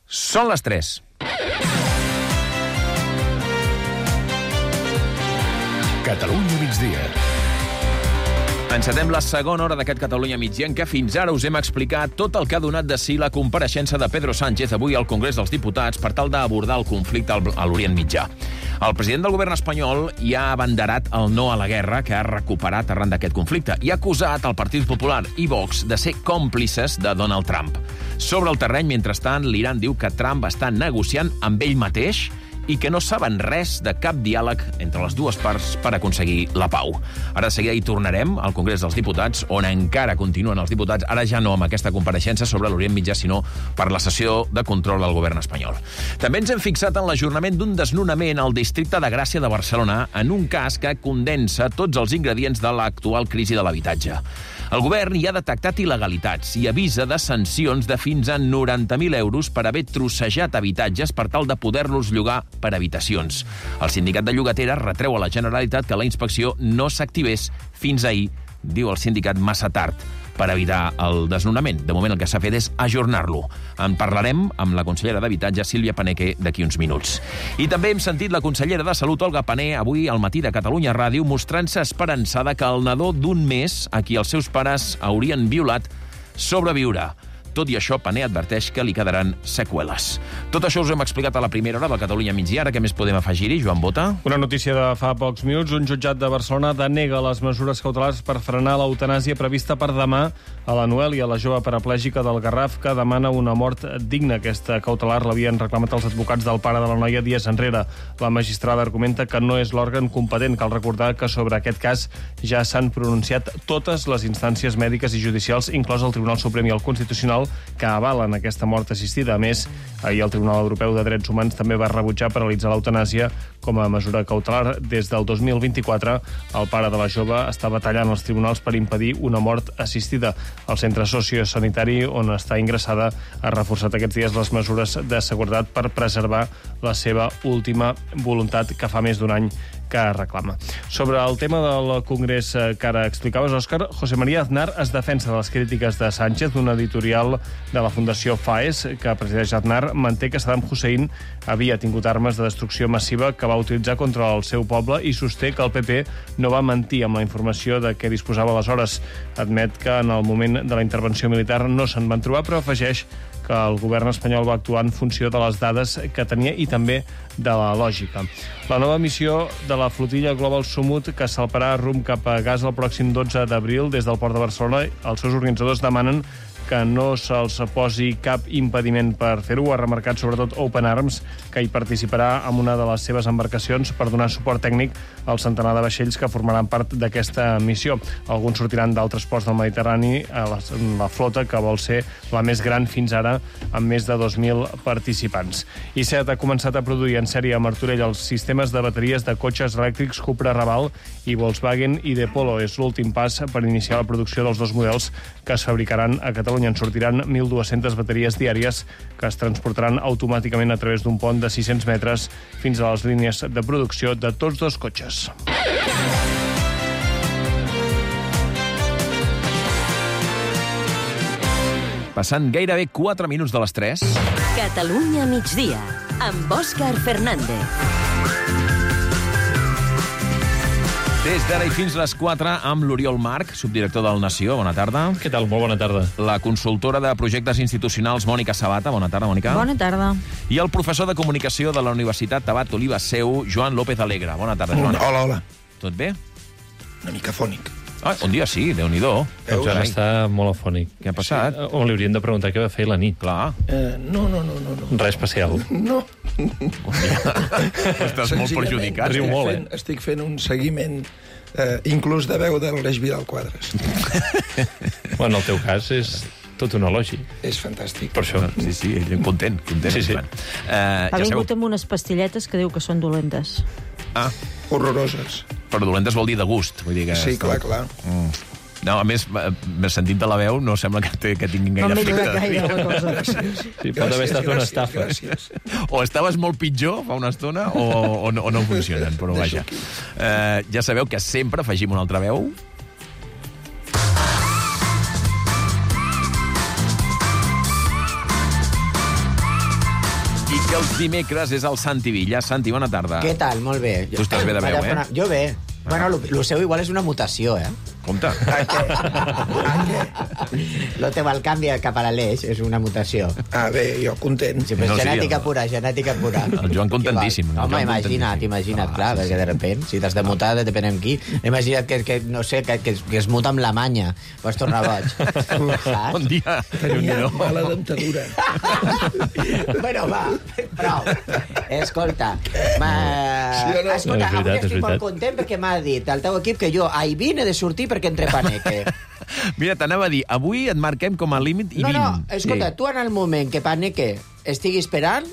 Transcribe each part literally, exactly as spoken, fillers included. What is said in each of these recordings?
Són les tres. Catalunya migdia. Encetem la segona hora d'aquest Catalunya migdia en què fins ara us hem explicat tot el que ha donat de si la compareixença de Pedro Sánchez avui al Congrés dels Diputats per tal d'abordar el conflicte a l'Orient Mitjà. El president del govern espanyol ja ha abanderat el no a la guerra que ha recuperat arran d'aquest conflicte i ha acusat el Partit Popular i Vox de ser còmplices de Donald Trump. Sobre el terreny, mentrestant, l'Iran diu que Trump està negociant amb ell mateix i que no saben res de cap diàleg entre les dues parts per aconseguir la pau. Ara de seguida hi tornarem al Congrés dels Diputats, on encara continuen els diputats, ara ja no amb aquesta compareixença sobre l'Orient Mitjà, sinó per la sessió de control del govern espanyol. També ens hem fixat en l'ajornament d'un desnonament al districte de Gràcia de Barcelona en un cas que condensa tots els ingredients de l'actual crisi de l'habitatge. El govern hi ha detectat il·legalitats i avisa de sancions de fins a noranta mil euros per haver trossejat habitatges per tal de poder-los llogar per habitacions. El sindicat de llogateres retreu a la Generalitat que la inspecció no s'activés fins ahir, diu el sindicat massa tard, per evitar el desnonament. De moment el que s'ha fet és ajornar-lo. En parlarem amb la consellera d'Habitatge, Sílvia Paneque, d'aquí uns minuts. I també hem sentit la consellera de Salut, Olga Pané, avui al matí de Catalunya Ràdio, mostrant-se esperançada que el nadó d'un mes, a qui els seus pares haurien violat, sobreviurà. Tot i això, Pané adverteix que li quedaran seqüeles. Tot això us ho hem explicat a la primera hora del Catalunya migdia. Ara què més podem afegir-hi, Joan Bota? Una notícia de fa pocs minuts. Un jutjat de Barcelona denega les mesures cautelars per frenar l'eutanàsia prevista per demà a la Noèlia, la jove paraplègica del Garraf, que demana una mort digna. Aquesta cautelar l'havien reclamat els advocats del pare de la noia dies enrere. La magistrada argumenta que no és l'òrgan competent. Cal recordar que sobre aquest cas ja s'han pronunciat totes les instàncies mèdiques i judicials, inclòs el Tribunal Suprem i el Constitucional, que avalen aquesta mort assistida. A més, ahir el Tribunal Europeu de Drets Humans també va rebutjar paralitzar l'eutanàsia com a mesura cautelar. Des del dos mil vint-i-quatre, el pare de la jove està batallant als tribunals per impedir una mort assistida. El centre sociosanitari on està ingressada ha reforçat aquests dies les mesures de seguretat per preservar la seva última voluntat, que fa més d'un any que reclama. Sobre el tema del Congrés que ara explicaves, Òscar, José María Aznar es defensa de les crítiques de Sánchez. Un editorial de la Fundació FAES, que presideix Aznar, manté que Saddam Hussein havia tingut armes de destrucció massiva que va utilitzar contra el seu poble i sosté que el P P no va mentir amb la informació de què disposava aleshores. Admet que en el moment de la intervenció militar no se'n van trobar, però afegeix que el govern espanyol va actuar en funció de les dades que tenia i també de la lògica. La nova missió de la flotilla Global Sumut, que salparà rumb cap a Gaza el pròxim dotze d'abril des del port de Barcelona, els seus organitzadors demanen que no se'ls posi cap impediment per fer-ho. Ha remarcat sobretot Open Arms, que hi participarà amb una de les seves embarcacions per donar suport tècnic al centenar de vaixells que formaran part d'aquesta missió. Alguns sortiran d'altres ports del Mediterrani a la, la flota, que vol ser la més gran fins ara, amb més de dos mil participants. I SEAT ha començat a produir en sèrie a Martorell els sistemes de bateries de cotxes elèctrics Cupra Raval i Volkswagen i de Polo. És l'últim pas per iniciar la producció dels dos models que es fabricaran a Catalunya. En sortiran mil dues-centes bateries diàries que es transportaran automàticament a través d'un pont de sis-cents metres fins a les línies de producció de tots dos cotxes. Passant gairebé quatre minuts de les tres. Catalunya migdia, amb Òscar Fernández. Des d'ara i fins les quatre amb l'Oriol Marc, subdirector del Nació. Bona tarda. Què tal? Molt bona tarda. La consultora de projectes institucionals, Mònica Sabata. Bona tarda, Mònica. Bona tarda. I el professor de comunicació de la Universitat Tabat Oliva Seu, Joan López Alegre. Bona tarda, Joan. Hola, hola. Tot bé? Una mica fònic. Ah, un dia sí, Déu-n'hi-do. El Joan està molt afònic. Què ha passat? Sí, o li hauríem de preguntar què va fer la nit. Clar. Eh, no, no, no, no, no. Res especial. No. Estàs molt perjudicat. Riu Estic molt, fent, eh? estic fent un seguiment eh, inclús de veu de l'Aleix Vidal Quadres. Bueno, en el teu cas és tot un elogi. És fantàstic. Per això. Sí, sí, content, content. Sí, sí. Uh, Ha ja vingut sabeu... amb unes pastilletes que diu que són dolentes. Ah, Horroroses. però dolentes vol dir de gust. Vull dir que Sí, clar, clar. Mm. No, a més, m'he sentit de la veu, no sembla que, té, que tinguin gaire No m'he efecte. lligat gaire la cosa. Gràcies. Sí, pot haver estat una estafa. Gràcies. O estaves molt pitjor fa una estona o, o, no, o no funcionen, però vaja. Eh, ja sabeu que sempre afegim una altra veu. I que els dimecres és el Santi Villa. Santi, bona tarda. Què tal? Molt bé. Tu estàs bé de veu, eh? Jo bé. Bueno, el seu igual és una mutació, eh? Compte. Lo teu el canvi cap a l'Aleix és una mutació. Ah, bé, jo content. Sí, però No, sí, genètica el- pura, genètica pura. El Joan contentíssim, el Home, Joan imagina't, contentíssim. imagina't, Ah, clar, sí, perquè sí. de repent, si t'has de mutar, depèn amb qui. Imagina't que, que no sé, que, que, que es muta amb la manya. Pots tornar boig. Saps? Bon dia. Tenia Déu-n'hi-do. mala dentadura. Bueno, va, prou. Escolta, ma... Sí o no? Escolta, No, és veritat, avui és estic molt veritat. content perquè m'ha dit el teu equip que jo a Ivin he de sortir perquè entre Paneque. Mira, t'anava a dir, avui et marquem com a límit i No, vint. no, escolta, tu en el moment que Paneque estigui esperant,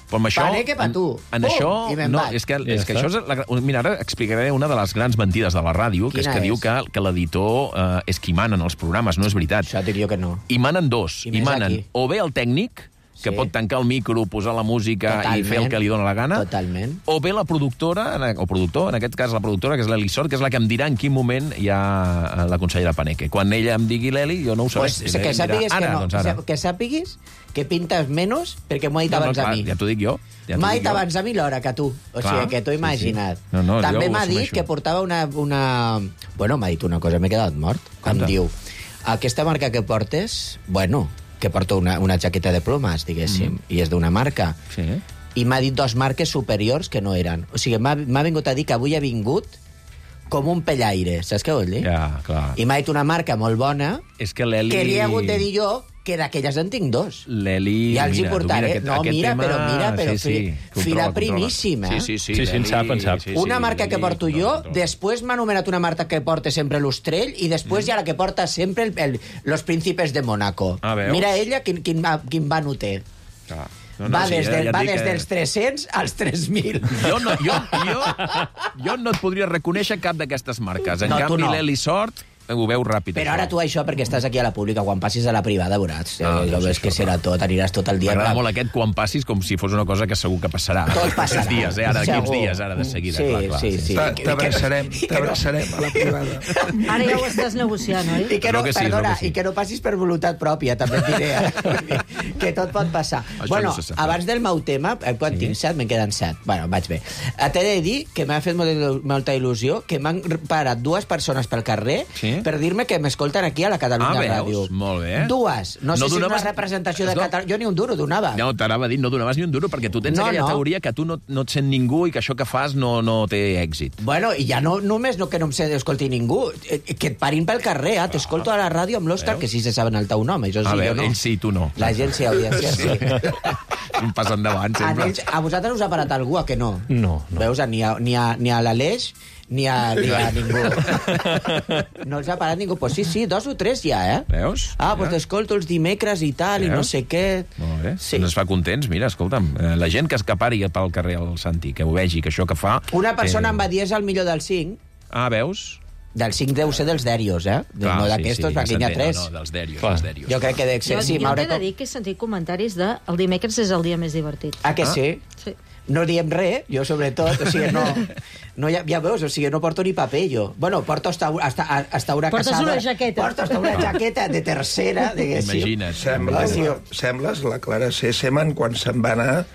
Però amb això, Paneque pa en- tu. En, Pum, això, i me'n no, vaig. és que, Ja és que està. això és... La, mira, ara explicaré una de les grans mentides de la ràdio, que és Quina que és? diu que, que l'editor eh, és qui mana en els programes. No és veritat. això dic jo que no. Hi manen dos. I Hi més manen aquí. o bé el tècnic, que Sí. pot tancar el micro, posar la música Totalment. i fer el que li dóna la gana. Totalment. O bé la productora, o productor, en aquest cas la productora, que és l'Eli Sort, que és la que em dirà en quin moment hi ha la consellera Paneque. Quan ella em digui l'Eli, jo no ho Pues, sabré. que Ella em dirà, sàpigues que ara, no. Doncs ara. Que sàpigues que pintes menys perquè m'ho ha dit No, no, abans clar, a mi. ja t'ho dic jo. Ja t'ho M'ha dic dit jo. abans a mi l'hora que tu. O Clar, sigui, que t'ho sí, imagina't. sí. No, no, També jo ho m'ha dit assumeixo. que portava una... una... Bueno, m'ha dit una cosa, m'he quedat mort. Em Conta. diu, aquesta marca que portes, bueno, que porto una, una jaqueta de plomes, diguéssim, mm. i és d'una marca. Sí. I m'ha dit dos marques superiors que no eren. O sigui, m'ha m'ha vingut a dir que avui ha vingut com un pellaire, saps què vol dir? Ja, clar. I m'ha dit una marca molt bona És que l'Eli... que li he hagut de dir jo que d'aquelles en tinc dos. L'Eli... Ja els hi mira, tu portaré. mira, aquest, No, aquest mira, tema... però mira, però sí, sí. fi- Controla, fila controla. primíssima, eh? Sí, sí, sí. Sí, sí, en l'Eli- sap, en sap. sí, sí, Una marca que l'Eli porto controla, jo, controla. després m'ha anomenat una marca que porta sempre l'Ostrell i després hi ha la que porta sempre el, el, los príncipes de Mónaco. Ah, veus? Mira ella quin, quin, va- quin va no té. Clar. va sí, des, ja- de, ja et va dic des que- dels tres-cents als tres mil. Jo no, jo, jo, jo no et podria reconèixer cap d'aquestes marques. En No, tu canvi, no. l'Eli Sort ho veu ràpid. Però això. ara tu això perquè estàs aquí a la pública, quan passis a la privada veuràs. Ah, Eh, no jo sé ves que això, serà tot, aniràs tot el dia. M'agrada clar. molt aquest quan passis com si fos una cosa que segur que passarà. Tot passarà. Aquests dies, eh? Ara, d'aquí uns Segur. dies, ara, de seguida. Sí, clar, clar, sí, sí. Ta- T'abraçarem, t'abraçarem a la privada. Ara ja ho estàs negociant, oi? I que no, Crec que sí, perdona, crec que sí. i que no passis per voluntat pròpia, també et diré. eh? Que tot pot passar. Això bueno, no se sap. abans del meu tema, eh, quan Sí. tinc set, me'n queden set. Bueno, vaig bé. Eh, T'he de dir que m'ha fet molta, il- molta il·lusió que m'han parat dues persones pel carrer Sí. per dir-me que m'escolten aquí a la Catalunya Ah, veus? Ràdio. Molt bé. Dues. No, No sé si és donaves- una representació de No. Catalunya. Jo ni un duro donava. No, t'anava a dir, no donaves ni un duro, perquè tu tens No, aquella no. teoria que tu no, no et sent ningú i que això que fas no, no té èxit. Bueno, i ja no només no que no em sé d'escolti ningú, eh, que et parin pel carrer, eh? T'escolto a la ràdio amb l'Òscar, Veus? que sí se saben el teu nom, això sí, A jo veure, no. ells sí, tu no. La gent sí, audiència sí. Un pas endavant, A, sempre. ells, a vosaltres us ha parat algú, a que no? No, no. Veus, ni a, ni a, ni a l'Aleix ni a, ni a ningú. No els ha parat ningú. Pues sí, sí, dos o tres ja, eh? Veus? Ah, doncs Mira. t'escolto els dimecres i tal, i Veus? no sé què. Molt bé, Sí. sí. Ens fa contents. Mira, escolta'm, eh, la gent que escapari pel carrer al Santi, que ho vegi, que això que fa... Una persona eh... em va dir és el millor del cinc. Ah, veus? Del cinc deu ser dels dèrios, eh? Clar, no sí, d'aquestos, sí, perquè n'hi ha s'entén. tres. No, no, dels dèrios, Clar. dels dèrios. Jo crec que dec ser... Jo, Sí, jo m'hauré t'he de com- dir que he sentit comentaris de el dimecres és el dia més divertit. Ah, que sí? Sí. No diem res, jo sobretot, o sigui, no, no ja, ja veus, o sigui, no porto ni paper, jo. Bueno, porto hasta, hasta, hasta una Portes casada... una jaqueta. Porto hasta una jaqueta de tercera, diguéssim. Imagina't. Sembla, Ah, sí. sembles la Clara Sesseman quan se'n va anar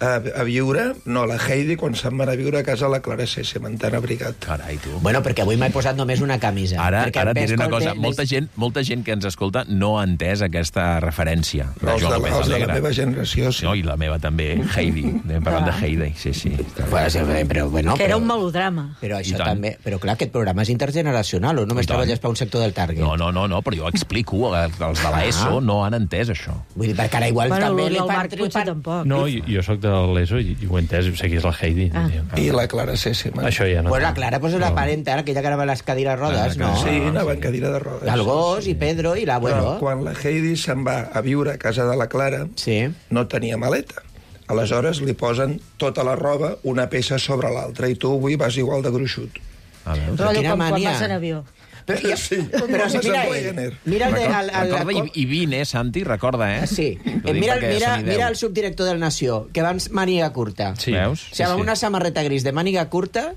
a, a viure, no, la Heidi quan se'n va anar a viure a casa la Clara Sesseman, tan abrigat. Carai, tu. Bueno, perquè avui m'he posat només una camisa. Ara, perquè ara et em diré una escolte cosa. més- Molta gent, molta gent que ens escolta no ha entès aquesta referència. Però Els jo de, només els de la alegra. meva generació, sí. No, i la meva també, Heidi. Anem parlant de Heidi, sí, sí. Bueno, sí, però, bueno, Que era però, un melodrama. però I això tant. també... Però clar, aquest programa és intergeneracional, o només I tant. treballes per un sector del target? No, no, no, no, però jo explico, els de l'ESO no han entès això. Vull dir, perquè ara igual Bueno, també el li del fan... Marc potser tampoc. No, jo, jo sóc de l'ESO i, i ho he entès, o sigui, és la Heidi. Ah. I la Clara Sesseman. Això ja no... Pues la Clara pues, és la parenta, aquella que anava a les cadires rodes, Ah, no? Sí, anava en cadira de rodes. El gos i Pedro i Però l'abuelo. quan la Heidi se'n va a viure a casa de la Clara, Sí. no tenia maleta. Aleshores li posen tota la roba, una peça sobre l'altra, i tu avui vas igual de gruixut. A veure. Però Rotllo quina com quan mania. vas en avió. Però, ja, Sí, però si com mira a ell, Ryanair. mira el, de, el, el, Recorda el, i, i vine, eh, Santi, recorda, eh? Sí. T'ho Eh, dic mira, perquè mira, se n'hi mira deu. el subdirector del Nació, que va amb màniga curta. Sí. Veus? O sigui, amb una samarreta gris de màniga curta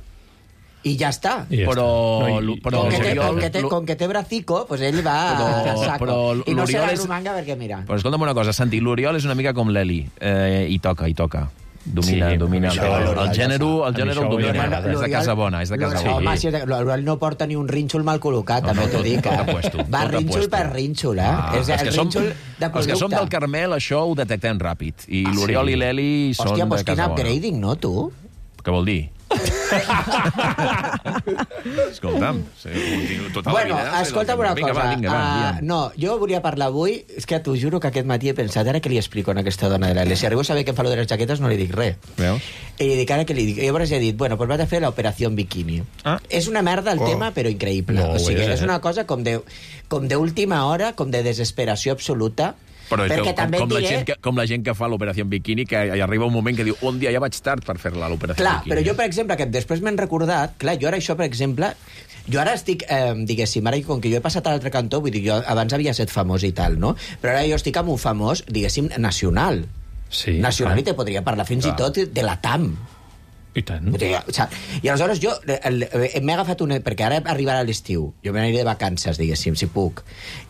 I ja està. I ja Però, està. No, i- però Com que, té, l'Oriol- com, que té, com que té bracico, pues ell va Però- a saco. però I no se l'Oriol la és- romanga perquè, mira... Però escolta'm una cosa, Santi, l'Oriol és una mica com l'Eli. Eh, I toca, i toca. Domina, Sí, domina. això, el, l'Oriol el gènere, ja el sap. gènere A el mi això domina. m'agrada. És de casa bona, és de casa L'Oriol- bona. Home, si és de- l'Oriol no porta ni un rínxol mal col·locat, No, també no, t'ho tot- dic. tot eh? apuesto, Va tot rínxol apuesto. per rínxol, eh? Ah, és els el que som, rínxol de els que som del conducta. Carmel, això ho detectem ràpid. I Ah, l'Oriol sí? i l'Eli són Hòstia, de pues quin casa bona. upgrading, no, tu? Què vol dir? Escolta'm, sí, continuo tota Bueno, la vida. escolta'm una vinga, cosa. Va, vinga, va, Ah, digue'm. no, jo volia parlar avui... És que t'ho juro que aquest matí he pensat, ara que li explico a aquesta dona de l'Eli. Si arribo a saber que em fa lo de les jaquetes, no li dic res. Veus? I li dic, ara que li dic... Llavors he dit, bueno, pues vaig a fer l'operació bikini. Ah. És una merda el Oh. tema, però increïble. No, o sigui, ho és, és eh? una cosa com de com d'última hora, com de desesperació absoluta. Però és perquè que, com, també com, et la diré... gent que, com la gent que fa l'operació en biquini, que hi arriba un moment que diu un dia ja vaig tard per fer-la, l'operació Clar, en biquini. però jo, per exemple, que després m'he recordat, clar, jo ara això, per exemple, jo ara estic, eh, diguéssim, ara com que jo he passat a l'altre cantó, vull dir, jo abans havia estat famós i tal, no? Però ara jo estic amb un famós, diguéssim, nacional. Sí, Nacional, clar. i te podria parlar fins Clar. i tot de la T A M. I tant. O sigui, o sigui, I aleshores jo el- el- m'he agafat una... Perquè ara arribarà l'estiu. Jo me n'aniré de vacances, diguéssim, si puc.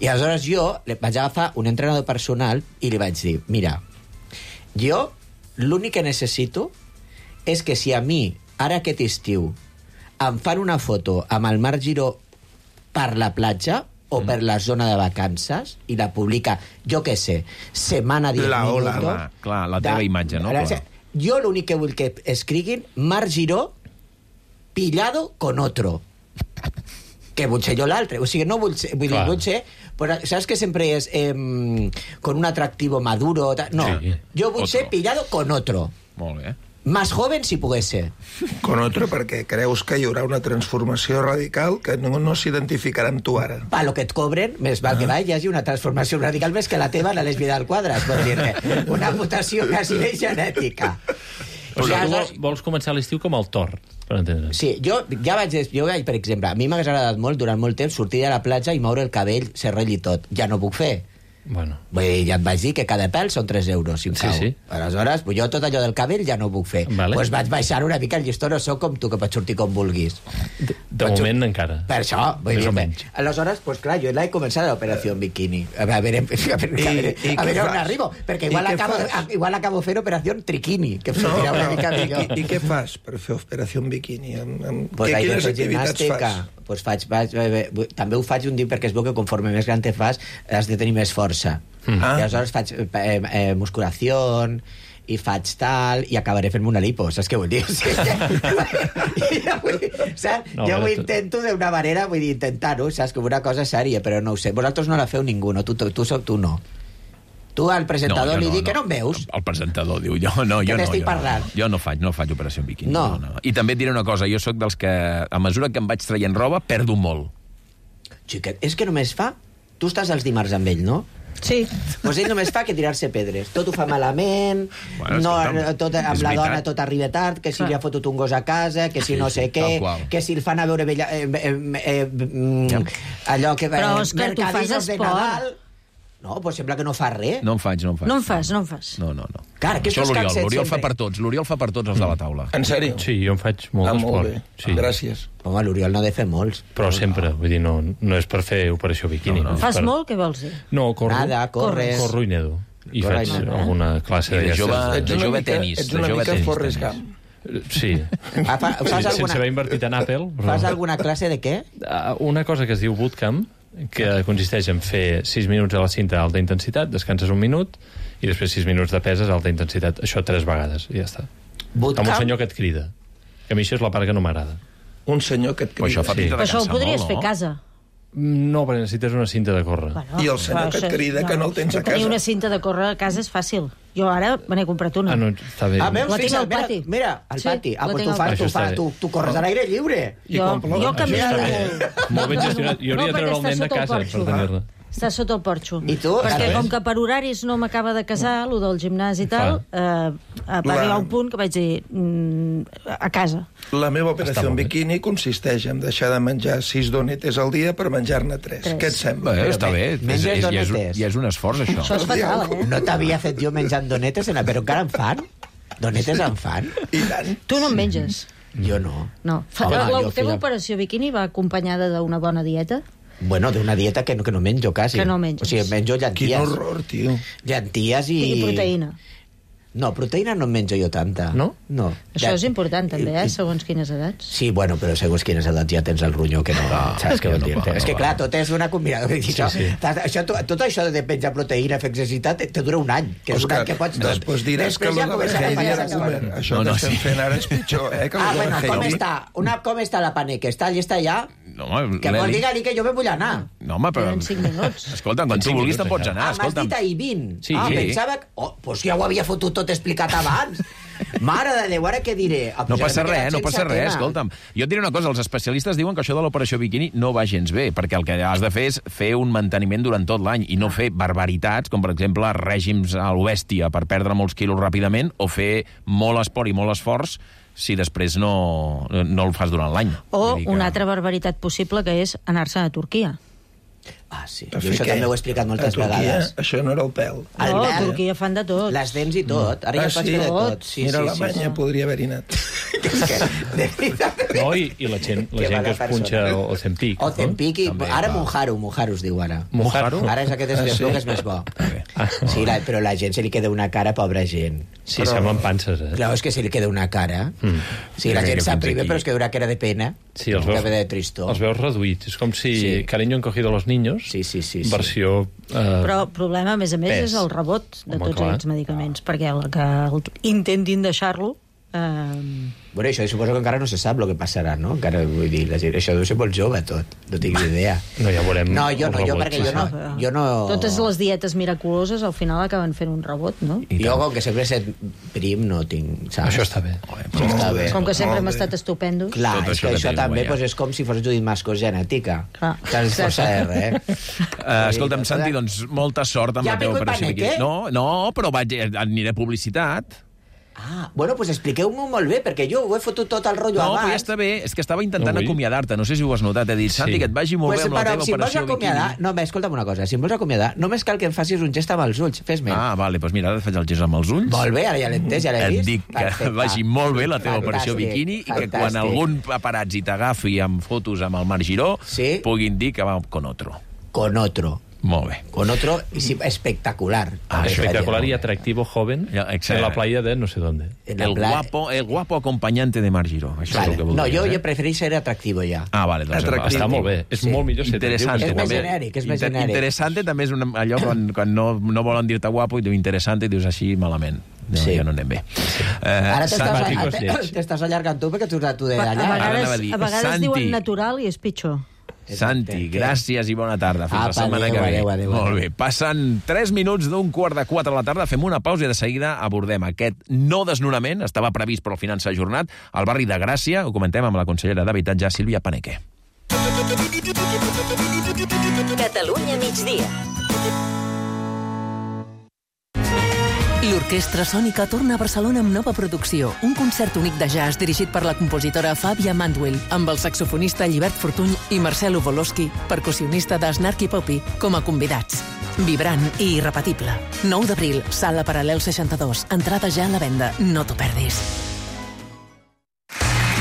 I aleshores jo le vaig agafar un entrenador personal i li vaig dir, mira, jo l'únic que necessito és que si a mi, ara aquest estiu, em fan una foto amb el Marc Giró per la platja o per la zona de vacances i la publica, jo què sé, setmana diez La ola, minutos... clar, clar, la teva imatge, no? La- Clar. Jo l'únic que vull que escriguin Marc Giró pillado con otro. Que vull ser jo l'altre. O sigui, no vull ser... Vull dir, Clar. vull ser... Però, saps que sempre és eh, con un atractivo maduro? ta- No, Sí. jo vull Otro. ser pillado con otro. Molt bé. Más joven si pogués ser. Con otro, perquè creus que hi haurà una transformació radical que no, no s'identificarà amb tu ara. Pa lo que et cobren, més val que va, hi hagi una transformació radical més que la teva a la lesbia del quadrat, vol dir una mutació quasi de genètica. O sigui, tu aleshores- vols, vols començar l'estiu com el Thor, per entendre's. Sí, jo ja vaig, jo vaig, per exemple, a mi m'hagués agradat molt durant molt temps sortir a la platja i moure el cabell, serrell i tot. Ja no puc fer. Bueno, Vull dir, ja et vaig dir que cada pèl són tres euros, si em Sí, cau. sí. Aleshores, jo tot allò del cabell ja no ho puc fer. Vale. Pues vaig baixar una mica el llistó, no sóc com tu, que pots sortir com vulguis. de, de Vaig- moment encara. Per això, vull Més dir o menys. Aleshores, pues clar, jo l'he començat l'operació en biquini. A veure, a veure, a veure, I- a veure, i a què veure on fas? arribo, perquè I igual què acabo, fas? igual acabo fent operació triquini, que em No, sortirà una però, mica i, millor. i, I què fas per fer operació en biquini? Amb, amb, Pues què, vaig quines fer activitats gimnàstica. fas? Pues faig, vaig, eh, eh, també ho faig un dia perquè es veu que conforme més gran te fas has de tenir més força. Mm. Ah. I aleshores faig eh, eh, eh, musculació i faig tal, i acabaré fent-me una lipo, saps què vull dir? O sigui, que, jo vull, saps? No, jo però ho tu- intento d'una manera, vull dir, intentar-ho, saps? Com una cosa sèria, però no ho sé. Vosaltres no la feu ningú, no? Tu, tu, tu, tu, tu no. Tu al presentador jo li dic que no em veus. El presentador diu, jo no, Que jo no. t'estic jo, parlant. No. Jo no faig, no faig operació en biquini. No. no. I també et diré una cosa, jo sóc dels que, a mesura que em vaig traient roba, perdo molt. Xiquet, és que només fa... Tu estàs els dimarts amb ell, no? Sí. Pues ell només fa que tirar-se pedres. Tot ho fa malament, Bueno, no, escolta'm, tot, amb és la veritat. dona tot arriba tard, que si Clar. li ha fotut un gos a casa, que si Sí, no sí, sé què, tal qual. que si el fan a veure vella, eh, eh, eh, mm, allò que... Però, eh, Òscar, tu fas mercadillos de esport. Nadal. No, pues sembla que no fa res. No en faig, no en faig. No en fas, no en fas. No, no, no. Clar, que Això estos l'Oriol, cansets l'Oriol fa sempre. per tots, l'Oriol fa per tots els de la taula. En sèrio? Sí, jo en faig molt Ah, molt d'esport. bé. Sí. Gràcies. Home, l'Oriol no ha de fer molts. Però sempre, vull dir, no, no és per fer operació biquini. No, no. és Fas per... molt? Què vols dir? No, corro. Nada, corres. Corro i nedo. I Corres. faig alguna classe I de d'aquestes. jove- Ets de una jove mica, tenis, ets de una jove mica tenis, Forrest tenis. Gump. Sí. Ah, fa, fas, sí alguna, sense haver invertit en Apple. Però... fas alguna classe de què? Uh, Una cosa que es diu bootcamp, que consisteix en fer sis minuts a la cinta d'alta intensitat, descanses un minut, i després sis minuts de peses a alta intensitat. Això tres vegades, i ja està. Bootcamp? Amb un senyor que et crida. Que a mi això és la part que no m'agrada. Un senyor que et Però això crida. fa Sí. pinta de Però això ho cansar podries molt, fer no? a casa. No, perquè necessites una cinta de córrer. Bueno, I el senyor però que et això- crida que no el tens a Tenir casa. una cinta de córrer a casa és fàcil. Jo ara me n'he comprat una. Ah, no, està bé. Ah, veus, La tinc fixa't, al pati. Mira, mira al Sí, pati. Ah, la pues tinc tu, al fas, pati. tu, Això està fas, bé. tu, tu corres a l'aire lliure. I Jo, quan plou, jo això canvio està de... bé. Molt ben gestionat. Jo hauria de No, treure el perquè nen de està sota el casa porxo. per tenir-la. Està sota el porxo. I tu? Perquè Estàs com bé? que per horaris no m'acaba de casar, lo del gimnàs i tal, eh, va La- arribar un punt que vaig dir mm, a casa. La meva Està operació en molt bé. biquini consisteix en deixar de menjar sis donetes al dia per menjar-ne tres. Tres. Què et sembla? Bé, està bé. És, menges és, ja, és, donetes. ja és un esforç, això. Això és fatal, eh? No t'havia fet jo menjant donetes, en- però encara en fan? Donetes en fan? I tant. Tu no en menges. Jo no. No. Fa, Home, la jo teva feia- operació biquini va acompanyada d'una bona dieta? Bueno, d'una dieta que no, que no menjo, quasi. Que no menges. O sigui, menjo Quin llenties. horror, tio. Llenties i... I proteïna. No, proteïna no en menjo jo tanta. No? No. Això és important, també, eh? I- Segons quines edats. Sí, bueno, però segons quines edats ja tens el ronyó que no... saps què vol dir? no, És que, no, clar, tot és una combinada. Sí, això, sí. això, tot això de menjar proteïna, fer exercitat, te dura un any. Que és un Òscar, any que pots tot. després diràs que Després ja lo de comença la a Heidi fallar era les comer. coses. Això No, que no, estem sí. fent ara és pitjor, eh? Que lo Ah, de la bueno, com Heidi. està? Una, com està la paneca? Està llista ja? No, home, Que vol l'Eli... dir que jo me vull anar. No, home, però... Tenen cinc minuts. Escolta, quan tu cinc vulguis minuts, te'n pots això. anar, Ah, m'has escolta'm. dit ahir vint. Sí. Ah, Sí. pensava que... Oh, doncs ja ho havia fotut tot explicat abans. Mare de Déu, ara què diré? Ah, No pues passa ara m'he res, quedat no sense passa res, tema. escolta'm. Jo et diré una cosa, els especialistes diuen que això de l'operació biquini no va gens bé, perquè el que has de fer és fer un manteniment durant tot l'any i no fer barbaritats, com per exemple règims a l'obèstia per perdre molts quilos ràpidament, o fer molt esport i molt esforç si després no, no el fas durant l'any. O Vull dir que- una altra barbaritat possible, que és anar-se a Turquia. Ah, sí. Per Jo fer això què? també ho he explicat moltes A Turquia, vegades. Això no era el pèl. El No, a vel, Turquia fan de tot. les dents i tot. Ara Ah, ja pots sí? fer de Tot. tot. Sí, Mira, sí, a Alemanya sí, podria haver-hi anat. sí. És que, de veritat. No, i, i la gent, la Que gent mala que es punxa persona. o, o Zempic. O Zempic, i... També, ara va. Mojaru, Mojaru es diu ara. Mojaru? Ara és aquest és, Ah, ah, sí? que és més bo. Ah, Sí, la, però la gent se li queda una cara, pobra gent. sí, semblen panses, eh? Clar, és que se li queda una cara. Mm. Sí, la Jo crec gent que sap fins primer, aquí. però és que una cara de pena. Sí, els una veus, cara de tristor. els veus reduïts. És com si Sí. sí. Cariño han cogido a los niños, Sí, sí, sí, sí. versió... Eh, Però el problema, a més a més, Pes. és el rebot de Home, tots clar. aquests medicaments, perquè el que el, intentin deixar-lo... Eh, Bueno, això suposo que encara no se sap el que passarà, no? Encara, vull dir, la gent, això deu ser molt jove, tot. No tinc ni idea. no, ja veurem... No, jo el no, jo rebot, perquè sí, jo sí. no... Jo no... Totes les dietes miraculoses al final acaben fent un rebot, no? Jo, com que sempre he set prim, no tinc... Saps? Això està bé. Això està bé. Com que sempre hem Molt bé. estat estupendos. Clar, Tot és això que que això tens també guanyat. pues, és com si fos Judit Mascos genètica. Clar. Saps? Força de res, eh? Uh, escolta'm, Santi, doncs molta sort amb Ja la teva ha vingut operació Paneque? biquini. No, no, però vaig, aniré a publicitat. Ah, bueno, pues expliqueu-m'ho molt bé, perquè jo ho he fotut tot el rotllo No, abans. però ja està bé. És que estava intentant No vull. acomiadar-te. No sé si ho has notat. He dit, Santi, Sí. que et vagi molt Pues, bé amb la però, teva si em vols operació acomiadar... biquini. No, bé, escolta'm una cosa. Si em vols acomiadar, només cal que em facis un gest amb els ulls. Fes-me. Ah, vale, doncs mira, ara et faig el gest amb els ulls. Molt bé, ara ja l'he entès, ja l'he Et vist. dic que Perfecte. vagi molt bé la teva operació Fantàstic, biquini i que quan fantàstic. algun paparazzi t'agafi amb fotos amb el Marc Giró Sí. puguin dir que va con otro. Con otro. Molt bé. Con otro y sí, espectacular. Ah, Espectacular y atractivo joven Ya, exacto. en la playa de no sé dónde. En la El playa. guapo, el guapo acompanyante de Marc Giró. Això Vale. és el que No, voldries, jo, eh? jo prefereix ser atractivo ja. Ah, vale, doncs Atractiu. Està molt bé. És Sí. molt millor ser Interessant. És més també. genèric, és més Inter- genèric. Interessante també és una, allò quan, quan no, no volen dir-te guapo i diu interessante i dius així malament. No, Sí. ja no anem bé. Eh, Ara t'estàs Simpàtic, a- és lleig. t'estàs allargant tu perquè tu ets tu de A allà. Ara vegades, anava a dir, a vegades Santi. diuen natural i és pitjor. Santi, Què? gràcies i bona tarda. Fins Apa, la setmana adéu, que ve. adéu, adéu, Molt adéu. bé. Passen tres minuts d'un quart de quatre a la tarda. Fem una pausa i de seguida abordem aquest no desnonament. Estava previst, però al final s'ha ajornat. Al barri de Gràcia. Ho comentem amb la consellera d'Habitatge, Sílvia Paneque. Catalunya migdia. L'Orquestra Sònica torna a Barcelona amb nova producció. Un concert únic de jazz dirigit per la compositora Fàbia Mandwell, amb el saxofonista Llibert Fortuny i Marcelo Volosky, percussionista de Snarky Puppy, com a convidats. Vibrant i irrepetible. nou d'abril, Sala Paral·lel seixanta-dos. Entrada ja a la venda. No t'ho perdis.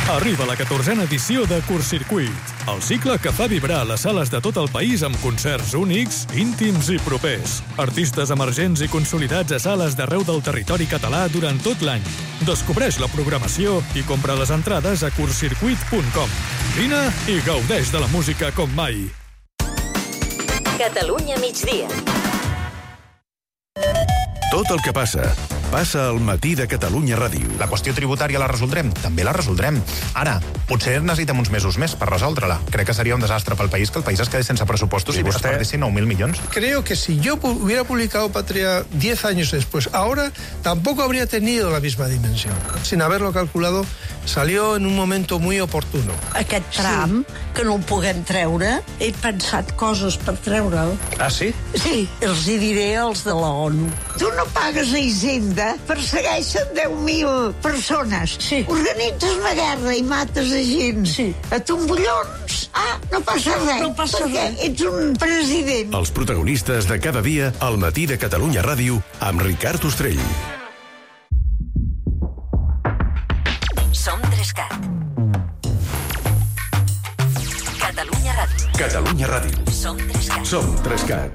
Arriba la catorzena edició de Curtcircuit, el cicle que fa vibrar les sales de tot el país amb concerts únics, íntims i propers. Artistes emergents i consolidats a sales d'arreu del territori català durant tot l'any. Descobreix la programació i compra les entrades a curtcircuit punt com. Vine i gaudeix de la música com mai. Catalunya migdia. Tot el que passa, passa al matí de Catalunya Ràdio. La qüestió tributària la resoldrem? També la resoldrem. Ara, potser necessitem uns mesos més per resoldre-la. Crec que seria un desastre pel país que el país es quedés sense pressupostos i, i vostè perdessin nou mil milions. Creo que si yo pu- hubiera publicado Patria diez años después, ahora tampoco habría tenido la misma dimensión. Sin haberlo calculado, salió en un momento muy oportuno. Aquest tram, sí. que no el puguem treure, he pensat coses per treure'l. Ah, sí? Sí, els hi diré als de la ONU. Tu no pagues a Hisenda, persegueixen deu mil persones. Sí. Organitzes una guerra i mates a gent. Sí. A tombollons. Ah, no passa res. No passa perquè res. Ets un president. Els protagonistes de cada dia al matí de Catalunya Ràdio amb Ricard Ostrell. Som Trescat. Catalunya Ràdio. Som Trescat. Som Trescat.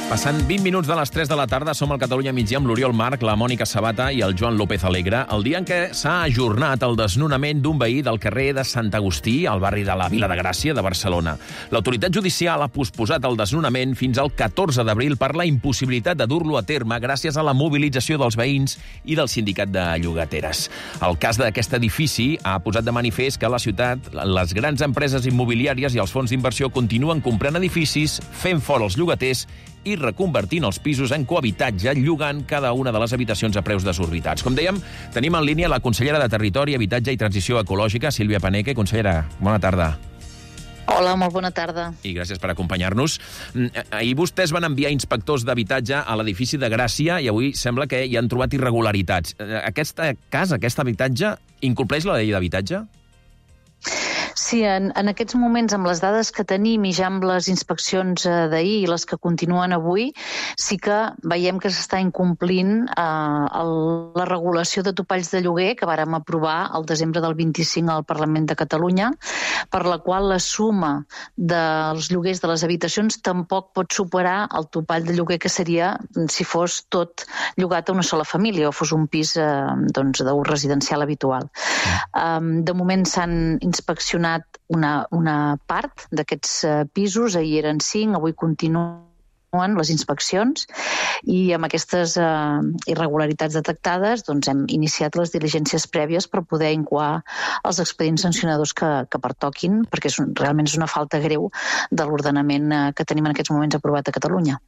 Passant vint minuts de les tres de la tarda, som al Catalunya Migdia amb l'Oriol Marc, la Mònica Sabata i el Joan López Alegre, el dia en què s'ha ajornat el desnonament d'un veí del carrer de Sant Agustí, al barri de la Vila de Gràcia de Barcelona. L'autoritat judicial ha posposat el desnonament fins al catorze d'abril per la impossibilitat de dur-lo a terme gràcies a la mobilització dels veïns i del sindicat de llogateres. El cas d'aquest edifici ha posat de manifest que a la ciutat les grans empreses immobiliàries i els fons d'inversió continuen comprant edificis, fent fora els llogaters i reconvertint els pisos en cohabitatge, llogant cada una de les habitacions a preus desorbitats. Com dèiem, tenim en línia la consellera de Territori, Habitatge i Transició Ecològica, Sílvia Paneque. Consellera, bona tarda. Hola, molt bona tarda. I gràcies per acompanyar-nos. Ahir vostès van enviar inspectors d'habitatge a l'edifici de Gràcia i avui sembla que hi han trobat irregularitats. Aquesta casa, aquest habitatge, incompleix la llei d'habitatge? Sí, en, en aquests moments, amb les dades que tenim i ja amb les inspeccions eh, d'ahir i les que continuen avui, sí que veiem que s'està incomplint eh, el, la regulació de topalls de lloguer que vàrem aprovar el desembre del vint-i-cinc al Parlament de Catalunya, per la qual la suma dels lloguers de les habitacions tampoc pot superar el topall de lloguer que seria si fos tot llogat a una sola família o fos un pis eh, doncs, d'ús residencial habitual. Um, de moment s'han inspeccionat una, una part d'aquests uh, pisos, ahir eren cinc, avui continuen les inspeccions i amb aquestes uh, irregularitats detectades doncs hem iniciat les diligències prèvies per poder incoar els expedients sancionadors que, que pertoquin, perquè és un, realment és una falta greu de l'ordenament uh, que tenim en aquests moments aprovat a Catalunya.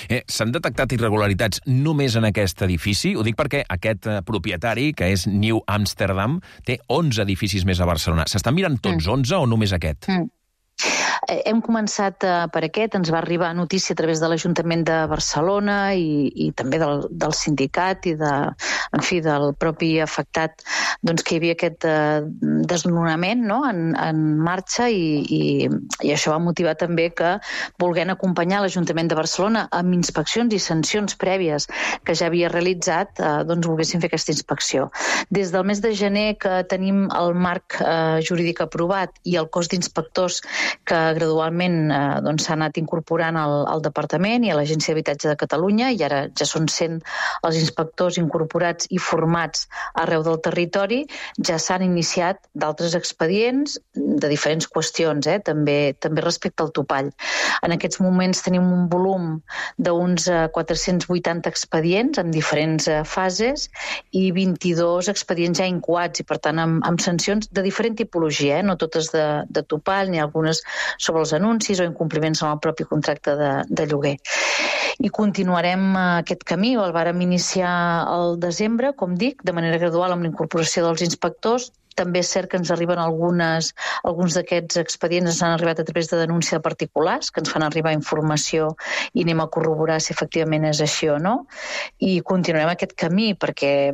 Eh, S'han detectat irregularitats només en aquest edifici? Ho dic perquè aquest uh, propietari, que és New Amsterdam, té onze edificis més a Barcelona. S'estan mirant tots mm. onze o només aquest? Mm. Hem començat uh, per aquest, ens va arribar notícia a través de l'Ajuntament de Barcelona i, i també del, del sindicat i de, en fi, del propi afectat doncs, que hi havia aquest uh, desnonament no? en, en marxa i, i, i això va motivar també que, volent acompanyar l'Ajuntament de Barcelona amb inspeccions i sancions prèvies que ja havia realitzat, uh, doncs volguessin fer aquesta inspecció. Des del mes de gener que tenim el marc uh, jurídic aprovat i el cos d'inspectors que gradualment eh, doncs, s'ha anat incorporant al, al Departament i a l'Agència d'Habitatge de Catalunya i ara ja són cent els inspectors incorporats i formats arreu del territori, ja s'han iniciat d'altres expedients de diferents qüestions, eh, també, també respecte al topall. En aquests moments tenim un volum d'uns eh, quatre-cents vuitanta expedients en diferents eh, fases i vint-i-dos expedients ja incoats i per tant amb, amb sancions de diferent tipologia, eh, no totes de, de topall ni algunes sobre els anuncis o incompliments en el propi contracte de, de lloguer. I continuarem aquest camí, el vàrem iniciar al desembre, com dic, de manera gradual amb la incorporació dels inspectors. També és cert que ens arriben algunes, alguns d'aquests expedients ens han arribat a través de denúncia de particulars, que ens fan arribar informació i anem a corroborar si efectivament és així o no. I continuarem aquest camí, perquè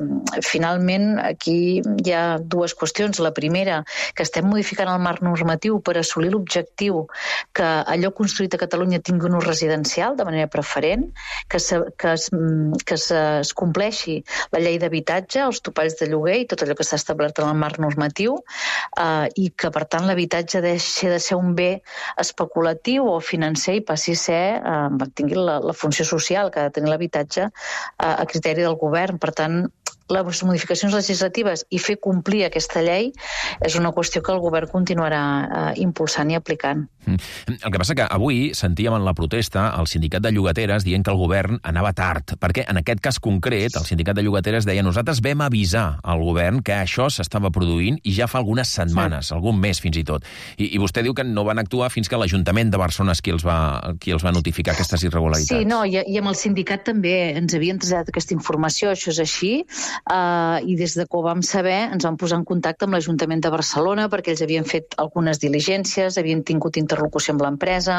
finalment aquí hi ha dues qüestions. La primera, que estem modificant el marc normatiu per assolir l'objectiu que allò construït a Catalunya tingui un ús residencial de manera preferent, que, se, que, es, que es, es compleixi la llei d'habitatge, els topalls de lloguer i tot allò que s'ha establert en el marc normatiu normatiu eh, i que, per tant, l'habitatge deixi de ser un bé especulatiu o financer i passi a ser, eh, tingui la, la funció social que ha de tenir l'habitatge eh, a criteri del govern. Per tant, les modificacions legislatives i fer complir aquesta llei és una qüestió que el govern continuarà eh, impulsant i aplicant. El que passa que avui sentíem en la protesta el sindicat de llogateres dient que el govern anava tard, perquè en aquest cas concret el sindicat de llogateres deia nosaltres vam avisar al govern que això s'estava produint i ja fa algunes setmanes, sí. algun mes fins i tot. I, i vostè diu que no van actuar fins que l'Ajuntament de Barcelona és qui els va, qui els va notificar aquestes irregularitats. Sí, no, i, i amb el sindicat també ens havien traslladat aquesta informació, això és així, Uh, i des de que ho vam saber ens vam posar en contacte amb l'Ajuntament de Barcelona perquè ells havien fet algunes diligències, havien tingut interlocució amb l'empresa.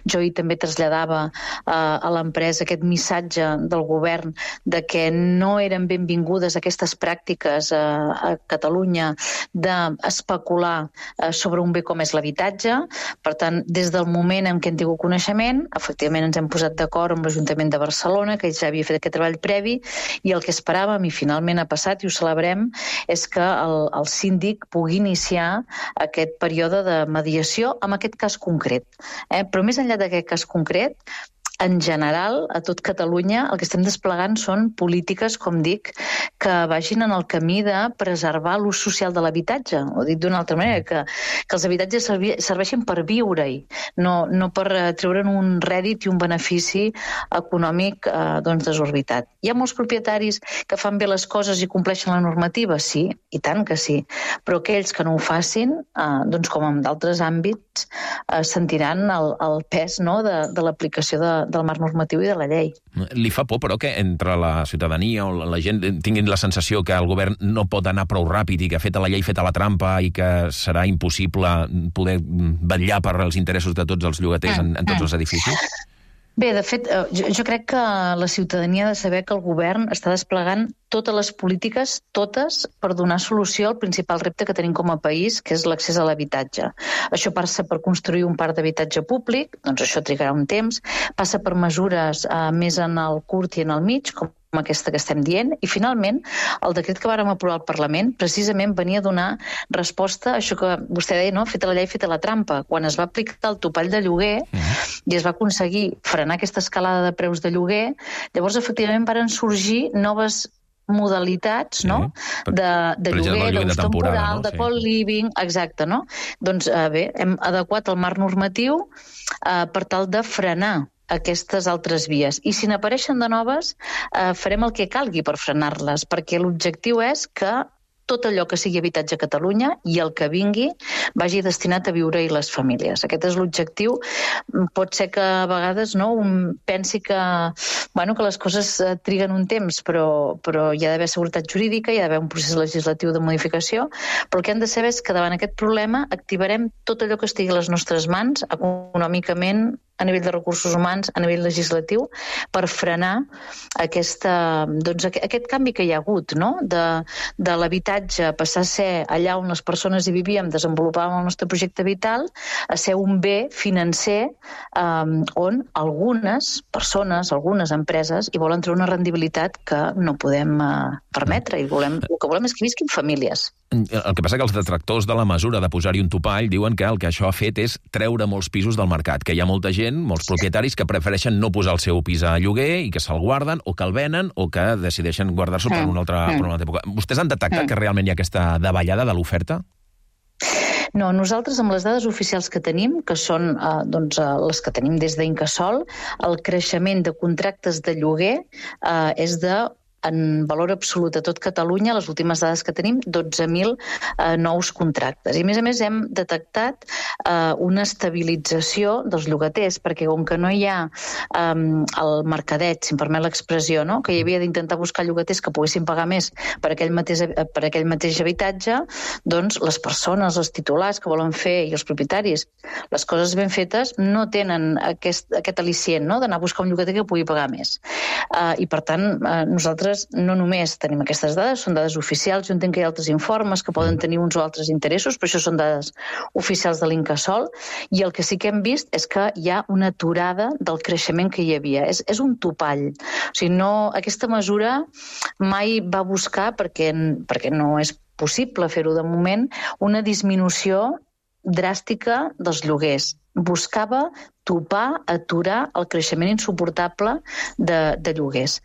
Jo hi també traslladava uh, a l'empresa aquest missatge del govern de que no eren benvingudes aquestes pràctiques uh, a Catalunya d'especular uh, sobre un bé com és l'habitatge. Per tant, des del moment en què hem tingut coneixement, efectivament ens hem posat d'acord amb l'Ajuntament de Barcelona, que ja havia fet aquest treball previ, i el que esperàvem, i finalment finalment ha passat, i ho celebrem, és que el, el síndic pugui iniciar aquest període de mediació amb aquest cas concret. Eh? Però més enllà d'aquest cas concret, en general, a tot Catalunya, el que estem desplegant són polítiques, com dic, que vagin en el camí de preservar l'ús social de l'habitatge. Ho dit d'una altra manera, que, que els habitatges servi, serveixin per viure-hi, no, no per treure'n un rèdit i un benefici econòmic eh, doncs desorbitat. Hi ha molts propietaris que fan bé les coses i compleixen la normativa? Sí, i tant que sí. Però aquells que no ho facin, eh, doncs com en d'altres àmbits, eh, sentiran el, el pes, no?, de, de l'aplicació de del marc normatiu i de la llei. Li fa por, però, que entre la ciutadania o la gent tinguin la sensació que el govern no pot anar prou ràpid i que feta la llei, feta la trampa, i que serà impossible poder vetllar per els interessos de tots els llogaters en, en tots els edificis? Bé, de fet, jo, jo crec que la ciutadania ha de saber que el govern està desplegant totes les polítiques, totes, per donar solució al principal repte que tenim com a país, que és l'accés a l'habitatge. Això passa per construir un parc d'habitatge públic, doncs això trigarà un temps, passa per mesures eh, més en el curt i en el mig, com aquesta que estem dient, i finalment el decret que vàrem aprovar al Parlament precisament venia a donar resposta a això que vostè deia, no? Feta la llei, feta la trampa. Quan es va aplicar el topall de lloguer mm. i es va aconseguir frenar aquesta escalada de preus de lloguer, llavors efectivament varen sorgir noves modalitats, no? Sí. de, de per lloguer, exemple, d'ús temporal, no? de Sí. co-living, exacte, no? Doncs eh, bé, hem adequat el marc normatiu eh, per tal de frenar aquestes altres vies. I si n'apareixen de noves, eh, farem el que calgui per frenar-les, perquè l'objectiu és que tot allò que sigui habitatge a Catalunya i el que vingui vagi destinat a viure-hi les famílies. Aquest és l'objectiu. Pot ser que a vegades no, un pensi que, bueno, que les coses triguen un temps, però, però hi ha d'haver seguretat jurídica, hi ha d'haver un procés legislatiu de modificació, però el que hem de saber és que davant aquest problema activarem tot allò que estigui a les nostres mans, econòmicament, a nivell de recursos humans, a nivell legislatiu, per frenar aquesta, doncs, aquest canvi que hi ha hagut, no? de, de l'habitatge passar a ser allà on les persones hi vivíem, desenvolupàvem el nostre projecte vital, a ser un bé financer um, on algunes persones, algunes empreses hi volen treure una rendibilitat que no podem uh, permetre, i volem, el que volem és que visquin famílies. El que passa que els detractors de la mesura de posar-hi un topall diuen que el que això ha fet és treure molts pisos del mercat, que hi ha molta gent, molts propietaris, que prefereixen no posar el seu pis a lloguer i que se'l guarden o que el venen o que decideixen guardar-s'ho per una altra, per una altra època. Vostès han detectat que realment hi ha aquesta davallada de l'oferta? No, nosaltres amb les dades oficials que tenim, que són eh, doncs, eh, les que tenim des d'Incasòl, el creixement de contractes de lloguer eh, és de en valor absolut a tot Catalunya, les últimes dades que tenim, dotze mil eh, nous contractes. I a més a més hem detectat eh, una estabilització dels llogaters, perquè com que no hi ha eh, el mercadet, si em permet l'expressió, no? que hi havia d'intentar buscar llogaters que poguessin pagar més per aquell mateix, per aquell mateix habitatge, doncs les persones, els titulars que volen fer i els propietaris, les coses ben fetes no tenen aquest, aquest al·licient, no? d'anar a buscar un llogater que pugui pagar més. Eh, I per tant, eh, nosaltres no només tenim aquestes dades, són dades oficials, jo entenc que hi ha altres informes que poden tenir uns o altres interessos, però això són dades oficials de l'Incasòl, i el que sí que hem vist és que hi ha una aturada del creixement que hi havia. És, és un topall. O sigui, no, aquesta mesura mai va buscar, perquè, perquè no és possible fer-ho de moment, una disminució dràstica dels lloguers. Buscava topar, aturar el creixement insuportable de, de lloguers.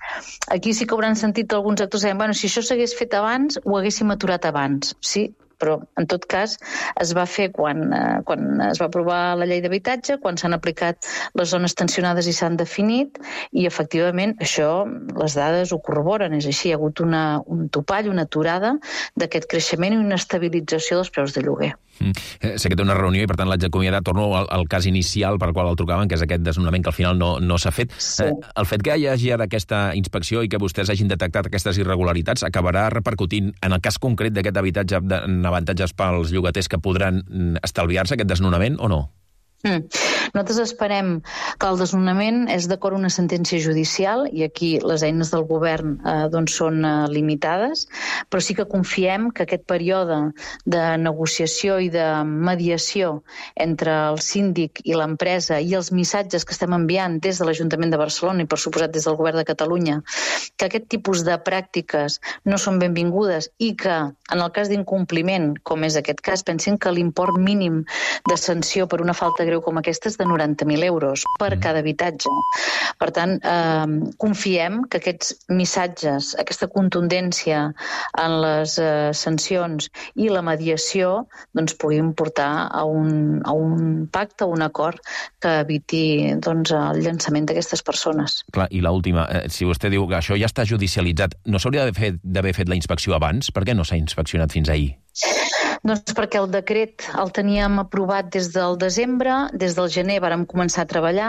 Aquí sí que hauran sentit alguns actors que deien, bueno, si això s'hagués fet abans, ho haguéssim aturat abans. Sí, però en tot cas es va fer quan, eh, quan es va aprovar la llei d'habitatge, quan s'han aplicat les zones tensionades i s'han definit, i efectivament això, les dades ho corroboren, és així, hi ha hagut una, un topall, una aturada d'aquest creixement i una estabilització dels preus de lloguer. Mm. Sé que té una reunió i per tant l'haig d'acomiadar. Torno al, al cas inicial per qual el trucaven, que és aquest desnonament que al final no, no s'ha fet. Sí. Eh, el fet que hi hagi ara aquesta inspecció i que vostès hagin detectat aquestes irregularitats acabarà repercutint en el cas concret d'aquest habitatge en avantatges pels llogaters que podran estalviar-se aquest desnonament o no? Mm. Nosaltres esperem que el desnonament és d'acord amb una sentència judicial i aquí les eines del govern eh, doncs són eh, limitades, però sí que confiem que aquest període de negociació i de mediació entre el síndic i l'empresa i els missatges que estem enviant des de l'Ajuntament de Barcelona i, per suposat, des del Govern de Catalunya, que aquest tipus de pràctiques no són benvingudes i que, en el cas d'incompliment, com és aquest cas, pensin que l'import mínim de sanció per una falta greu com aquesta és de noranta mil euros per cada habitatge. Per tant, eh, confiem que aquests missatges, aquesta contundència en les eh, sancions i la mediació doncs, puguin portar a un, a un pacte, a un acord que eviti doncs, el llançament d'aquestes persones. Clar, i l'última, eh, si vostè diu que això ja està judicialitzat, no s'hauria d'haver fet, d'haver fet la inspecció abans? Per què no s'ha inspeccionat fins ahir? Doncs perquè el decret el teníem aprovat des del desembre, des del gener vàrem començar a treballar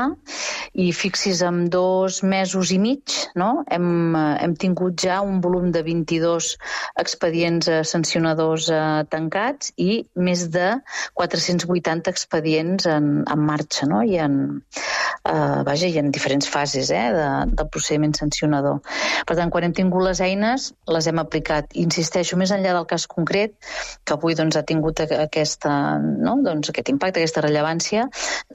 i fixis, en dos mesos i mig no? hem, hem tingut ja un volum de vint-i-dos expedients sancionadors eh, tancats i més de quatre-cents vuitanta expedients en, en marxa no? I, en, eh, vaja, i en diferents fases eh, de, del procediment sancionador. Per tant, quan hem tingut les eines, les hem aplicat. Insisteixo, més enllà del cas concret, que avui doncs, ha tingut aquesta, no? doncs, aquest impacte, aquesta rellevància,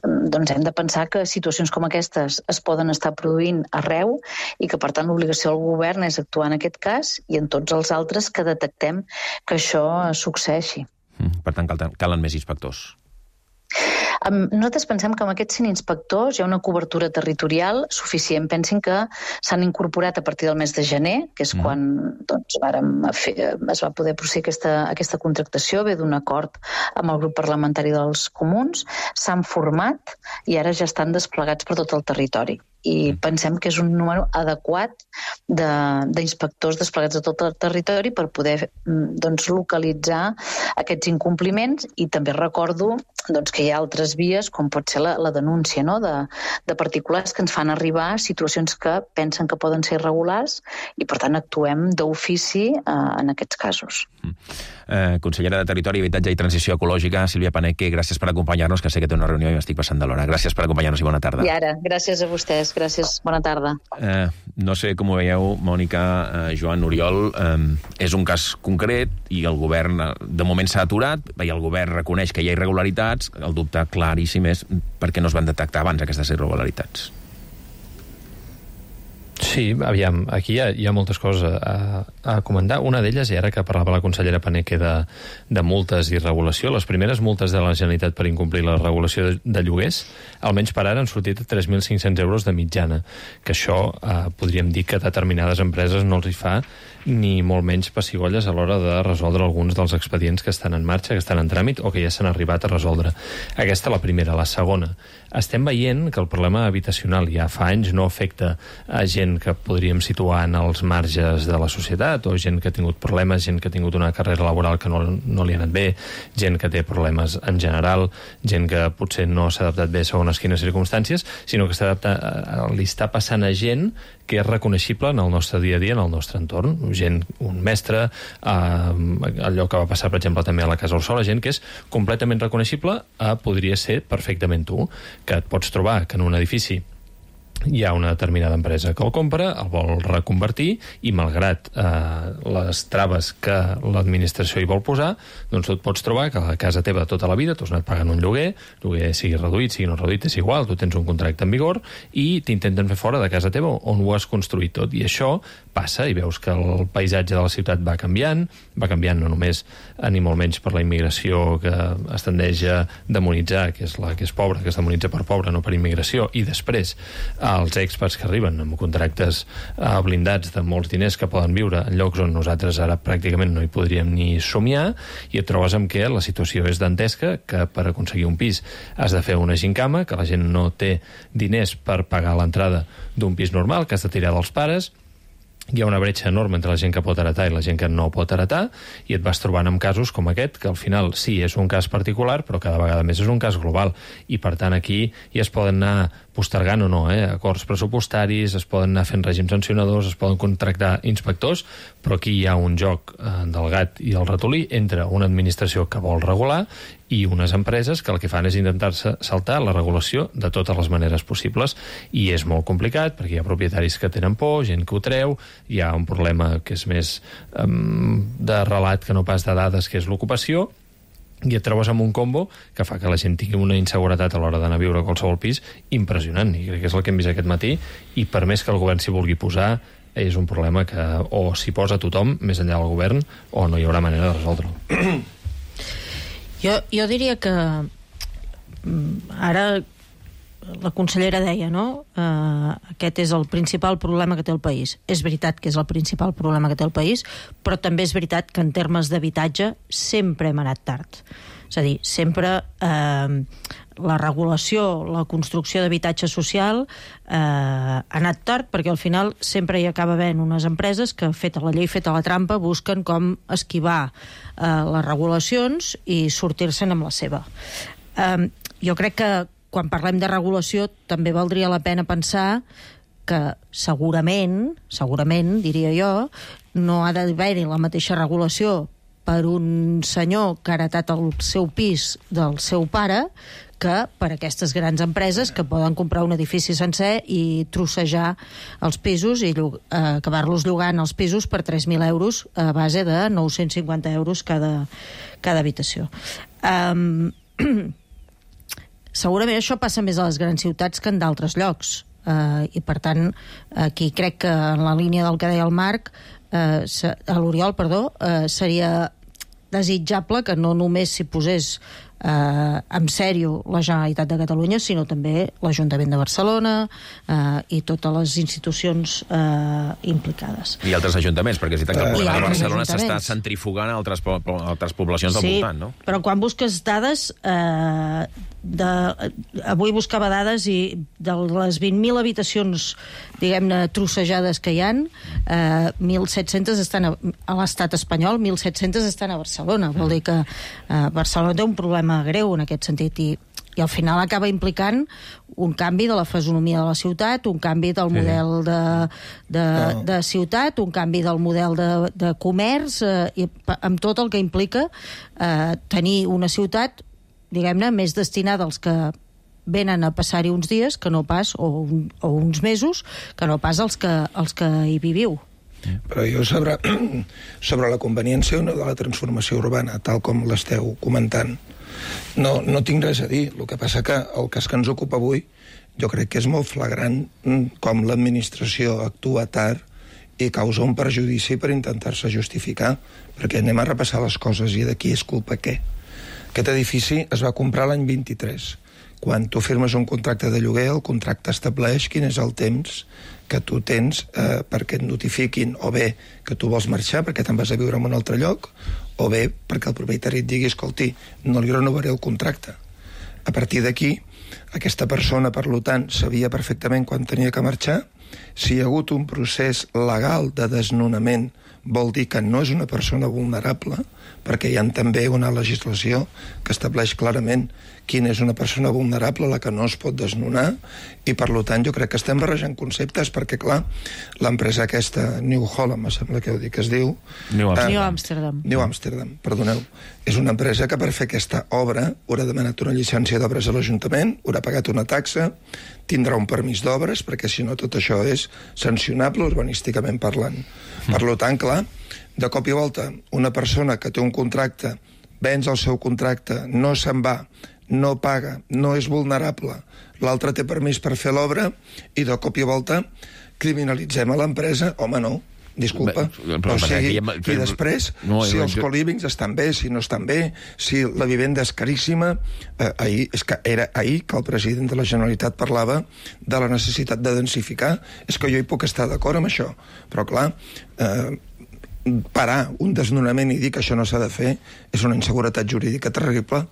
doncs hem de pensar que situacions com aquestes es poden estar produint arreu i que, per tant, l'obligació del govern és actuar en aquest cas i en tots els altres que detectem que això succeeixi. Mm, per tant, cal, calen més inspectors. Nosaltres pensem que amb aquests cent inspectors hi ha una cobertura territorial suficient. Pensin que s'han incorporat a partir del mes de gener, que és mm. quan doncs, vàrem fer, es va poder procedir aquesta, aquesta contractació, ve d'un acord amb el grup parlamentari dels comuns, s'han format i ara ja estan desplegats per tot el territori. I pensem que és un número adequat d'inspectors de, desplegats a tot el territori per poder doncs, localitzar aquests incompliments i també recordo doncs, que hi ha altres vies, com pot ser la, la denúncia no? de, de particulars que ens fan arribar situacions que pensen que poden ser irregulars i, per tant, actuem d'ofici eh, en aquests casos. Mm. Eh, consellera de Territori, Habitatge i Transició Ecològica, Sílvia Paneque, gràcies per acompanyar-nos, que sé que té una reunió i m'estic passant de l'hora. Gràcies per acompanyar-nos i bona tarda. I ara, gràcies a vostès. Gràcies, bona tarda. Eh, no sé com ho veieu, Mònica, eh, Joan, Oriol, eh, és un cas concret i el govern de moment s'ha aturat i el govern reconeix que hi ha irregularitats. El dubte claríssim és per què no es van detectar abans aquestes irregularitats. Sí, aviam, aquí hi ha, hi ha moltes coses a, a comentar. Una d'elles, i ara que parlava la consellera Paneque de, de multes i regulació, les primeres multes de la Generalitat per incomplir la regulació de, de lloguers, almenys per ara han sortit a tres mil cinc-cents euros de mitjana, que això eh, podríem dir que a determinades empreses no els hi fa ni molt menys pessigolles a l'hora de resoldre alguns dels expedients que estan en marxa, que estan en tràmit o que ja s'han arribat a resoldre. Aquesta la primera. La segona, estem veient que el problema habitacional ja fa anys no afecta a gent que podríem situar en els marges de la societat o gent que ha tingut problemes, gent que ha tingut una carrera laboral que no, no li ha anat bé, gent que té problemes en general, gent que potser no s'ha adaptat bé segons quines circumstàncies, sinó que està adaptat, li està passant a gent que és reconeixible en el nostre dia a dia, en el nostre entorn. Gent, un mestre, eh, allò que va passar, per exemple, també a la Casa Orsola, gent que és completament reconeixible, eh, podria ser perfectament tu, que et pots trobar que en un edifici hi ha una determinada empresa que el compra, el vol reconvertir i malgrat eh, les traves que l'administració hi vol posar, doncs tu et pots trobar que a la casa teva tota la vida tu has anat pagant un lloguer, lloguer sigui reduït, sigui no reduït, és igual, tu tens un contracte en vigor i t'intenten fer fora de casa teva on ho has construït tot. I això passa i veus que el paisatge de la ciutat va canviant, va canviant no només ni molt menys per la immigració que es tendeix a demonitzar, que és la que és pobra, que es demonitza per pobra, no per immigració, i després els experts que arriben amb contractes eh, blindats de molts diners que poden viure en llocs on nosaltres ara pràcticament no hi podríem ni somiar, i et trobes amb que la situació és dantesca, que per aconseguir un pis has de fer una gincama, que la gent no té diners per pagar l'entrada d'un pis normal, que has de tirar dels pares. Hi ha una bretxa enorme entre la gent que pot heretar i la gent que no pot heretar, i et vas trobant amb casos com aquest, que al final sí, és un cas particular, però cada vegada més és un cas global, i per tant aquí ja es poden anar postergant o no, eh? acords pressupostaris, es poden anar fent règims sancionadors, es poden contractar inspectors, però aquí hi ha un joc eh, del gat i el ratolí entre una administració que vol regular i unes empreses que el que fan és intentar-se saltar la regulació de totes les maneres possibles, i és molt complicat perquè hi ha propietaris que tenen por, gent que ho treu, hi ha un problema que és més um, de relat que no pas de dades, que és l'ocupació, i et trobes amb un combo que fa que la gent tingui una inseguretat a l'hora d'anar a viure a qualsevol pis impressionant, i crec que és el que hem vist aquest matí, i per més que el govern s'hi vulgui posar, és un problema que o s'hi posa tothom, més enllà del govern, o no hi haurà manera de resoldre-ho. Jo, jo diria que ara la consellera deia, no? Uh, aquest és el principal problema que té el país. És veritat que és el principal problema que té el país, però també és veritat que en termes d'habitatge sempre hem anat tard. És a dir, sempre eh, la regulació, la construcció d'habitatge social eh, ha anat tard, perquè al final sempre hi acaba havent unes empreses que, feta la llei, feta la trampa, busquen com esquivar eh, les regulacions i sortir-se'n amb la seva. Eh, jo crec que quan parlem de regulació també valdria la pena pensar que segurament, segurament, diria jo, no ha d'haver-hi la mateixa regulació per un senyor que ha heretat el seu pis del seu pare que per aquestes grans empreses que poden comprar un edifici sencer i trossejar els pisos i eh, acabar-los llogant els pisos per tres mil euros a base de nou-cents cinquanta euros cada, cada habitació. Um, segurament això passa més a les grans ciutats que en d'altres llocs. Uh, I per tant, aquí crec que en la línia del que deia el Marc, uh, a l'Oriol, perdó, uh, seria desitjable que no només s'hi posés eh, en sèrio la Generalitat de Catalunya, sinó també l'Ajuntament de Barcelona eh, i totes les institucions eh, implicades. I altres ajuntaments, perquè és veritat que el problema de Barcelona s'està ajuntaments. centrifugant a altres, po altres poblacions del Sí, voltant, no? però quan busques dades, eh, de, avui buscava dades i de les vint mil habitacions, diguem-ne, trossejades que hi ha, eh, mil set-centes estan a, a l'estat espanyol, mil set-centes estan a Barcelona. Vol dir que eh, Barcelona té un problema greu en aquest sentit i, i al final acaba implicant un canvi de la fisonomia de la ciutat, un canvi del model de, de, no. de ciutat, un canvi del model de, de comerç, eh, i amb tot el que implica eh, tenir una ciutat, diguem-ne, més destinada als que venen a passar-hi uns dies que no pas, o, un, o uns mesos, que no pas els que, els que hi viviu. Però jo sobre, sobre la conveniència de la transformació urbana, tal com l'esteu comentant, no, no tinc res a dir. El que passa que el cas que ens ocupa avui jo crec que és molt flagrant com l'administració actua tard i causa un perjudici per intentar-se justificar, perquè anem a repassar les coses i d'aquí és culpa què? Aquest edifici es va comprar l'any vint-i-tres. Quan tu firmes un contracte de lloguer, el contracte estableix quin és el temps que tu tens eh, perquè et notifiquin, o bé que tu vols marxar perquè te'n vas a viure en un altre lloc, o bé perquè el propietari et digui, escolti, no li renovaré el contracte. A partir d'aquí, aquesta persona, per tant, sabia perfectament quan tenia que marxar. Si hi ha hagut un procés legal de desnonament, vol dir que no és una persona vulnerable, perquè hi ha també una legislació que estableix clarament quina és una persona vulnerable, la que no es pot desnonar, i per tant jo crec que estem barrejant conceptes, perquè clar, l'empresa aquesta, New Holland, me sembla que ho dic, es diu... New Amsterdam. New Amsterdam. New Amsterdam, perdoneu. És una empresa que per fer aquesta obra haurà demanat una llicència d'obres a l'Ajuntament, haurà pagat una taxa, tindrà un permís d'obres, perquè si no tot això és sancionable urbanísticament parlant. Mm. Per tant, clar, de cop i volta, una persona que té un contracte, venç el seu contracte, no se'n va, no paga, no és vulnerable, l'altre té permís per fer l'obra i de cop i volta criminalitzem a l'empresa, home no, disculpa, Bé, però, o sigui, ha... i després, no, si els jo... co-livings estan bé, si no estan bé, si la vivenda és caríssima, eh, ahir, és que era ahir que el president de la Generalitat parlava de la necessitat de densificar, és que jo hi puc estar d'acord amb això, però clar, eh, parar un desnonament i dir que això no s'ha de fer és una inseguretat jurídica terrible.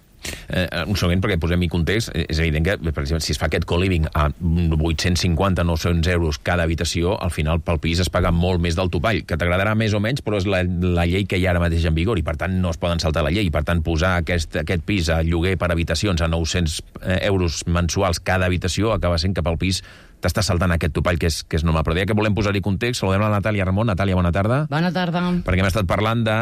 Eh, un segon, perquè posem-hi context, és evident que, per exemple, si es fa aquest co-living a vuit-cents cinquanta a nou-cents euros cada habitació, al final pel pis es paga molt més del topall, que t'agradarà més o menys, però és la, la llei que hi ha ara mateix en vigor, i per tant no es poden saltar la llei, i per tant posar aquest, aquest pis a lloguer per habitacions a nou-cents euros mensuals cada habitació acaba sent que pel pis t'està saltant aquest topall que és, que és normal. Però ja que volem posar-hi context, saludem la Natàlia Ramon. Natàlia, bona tarda. Bona tarda. Perquè hem estat parlant de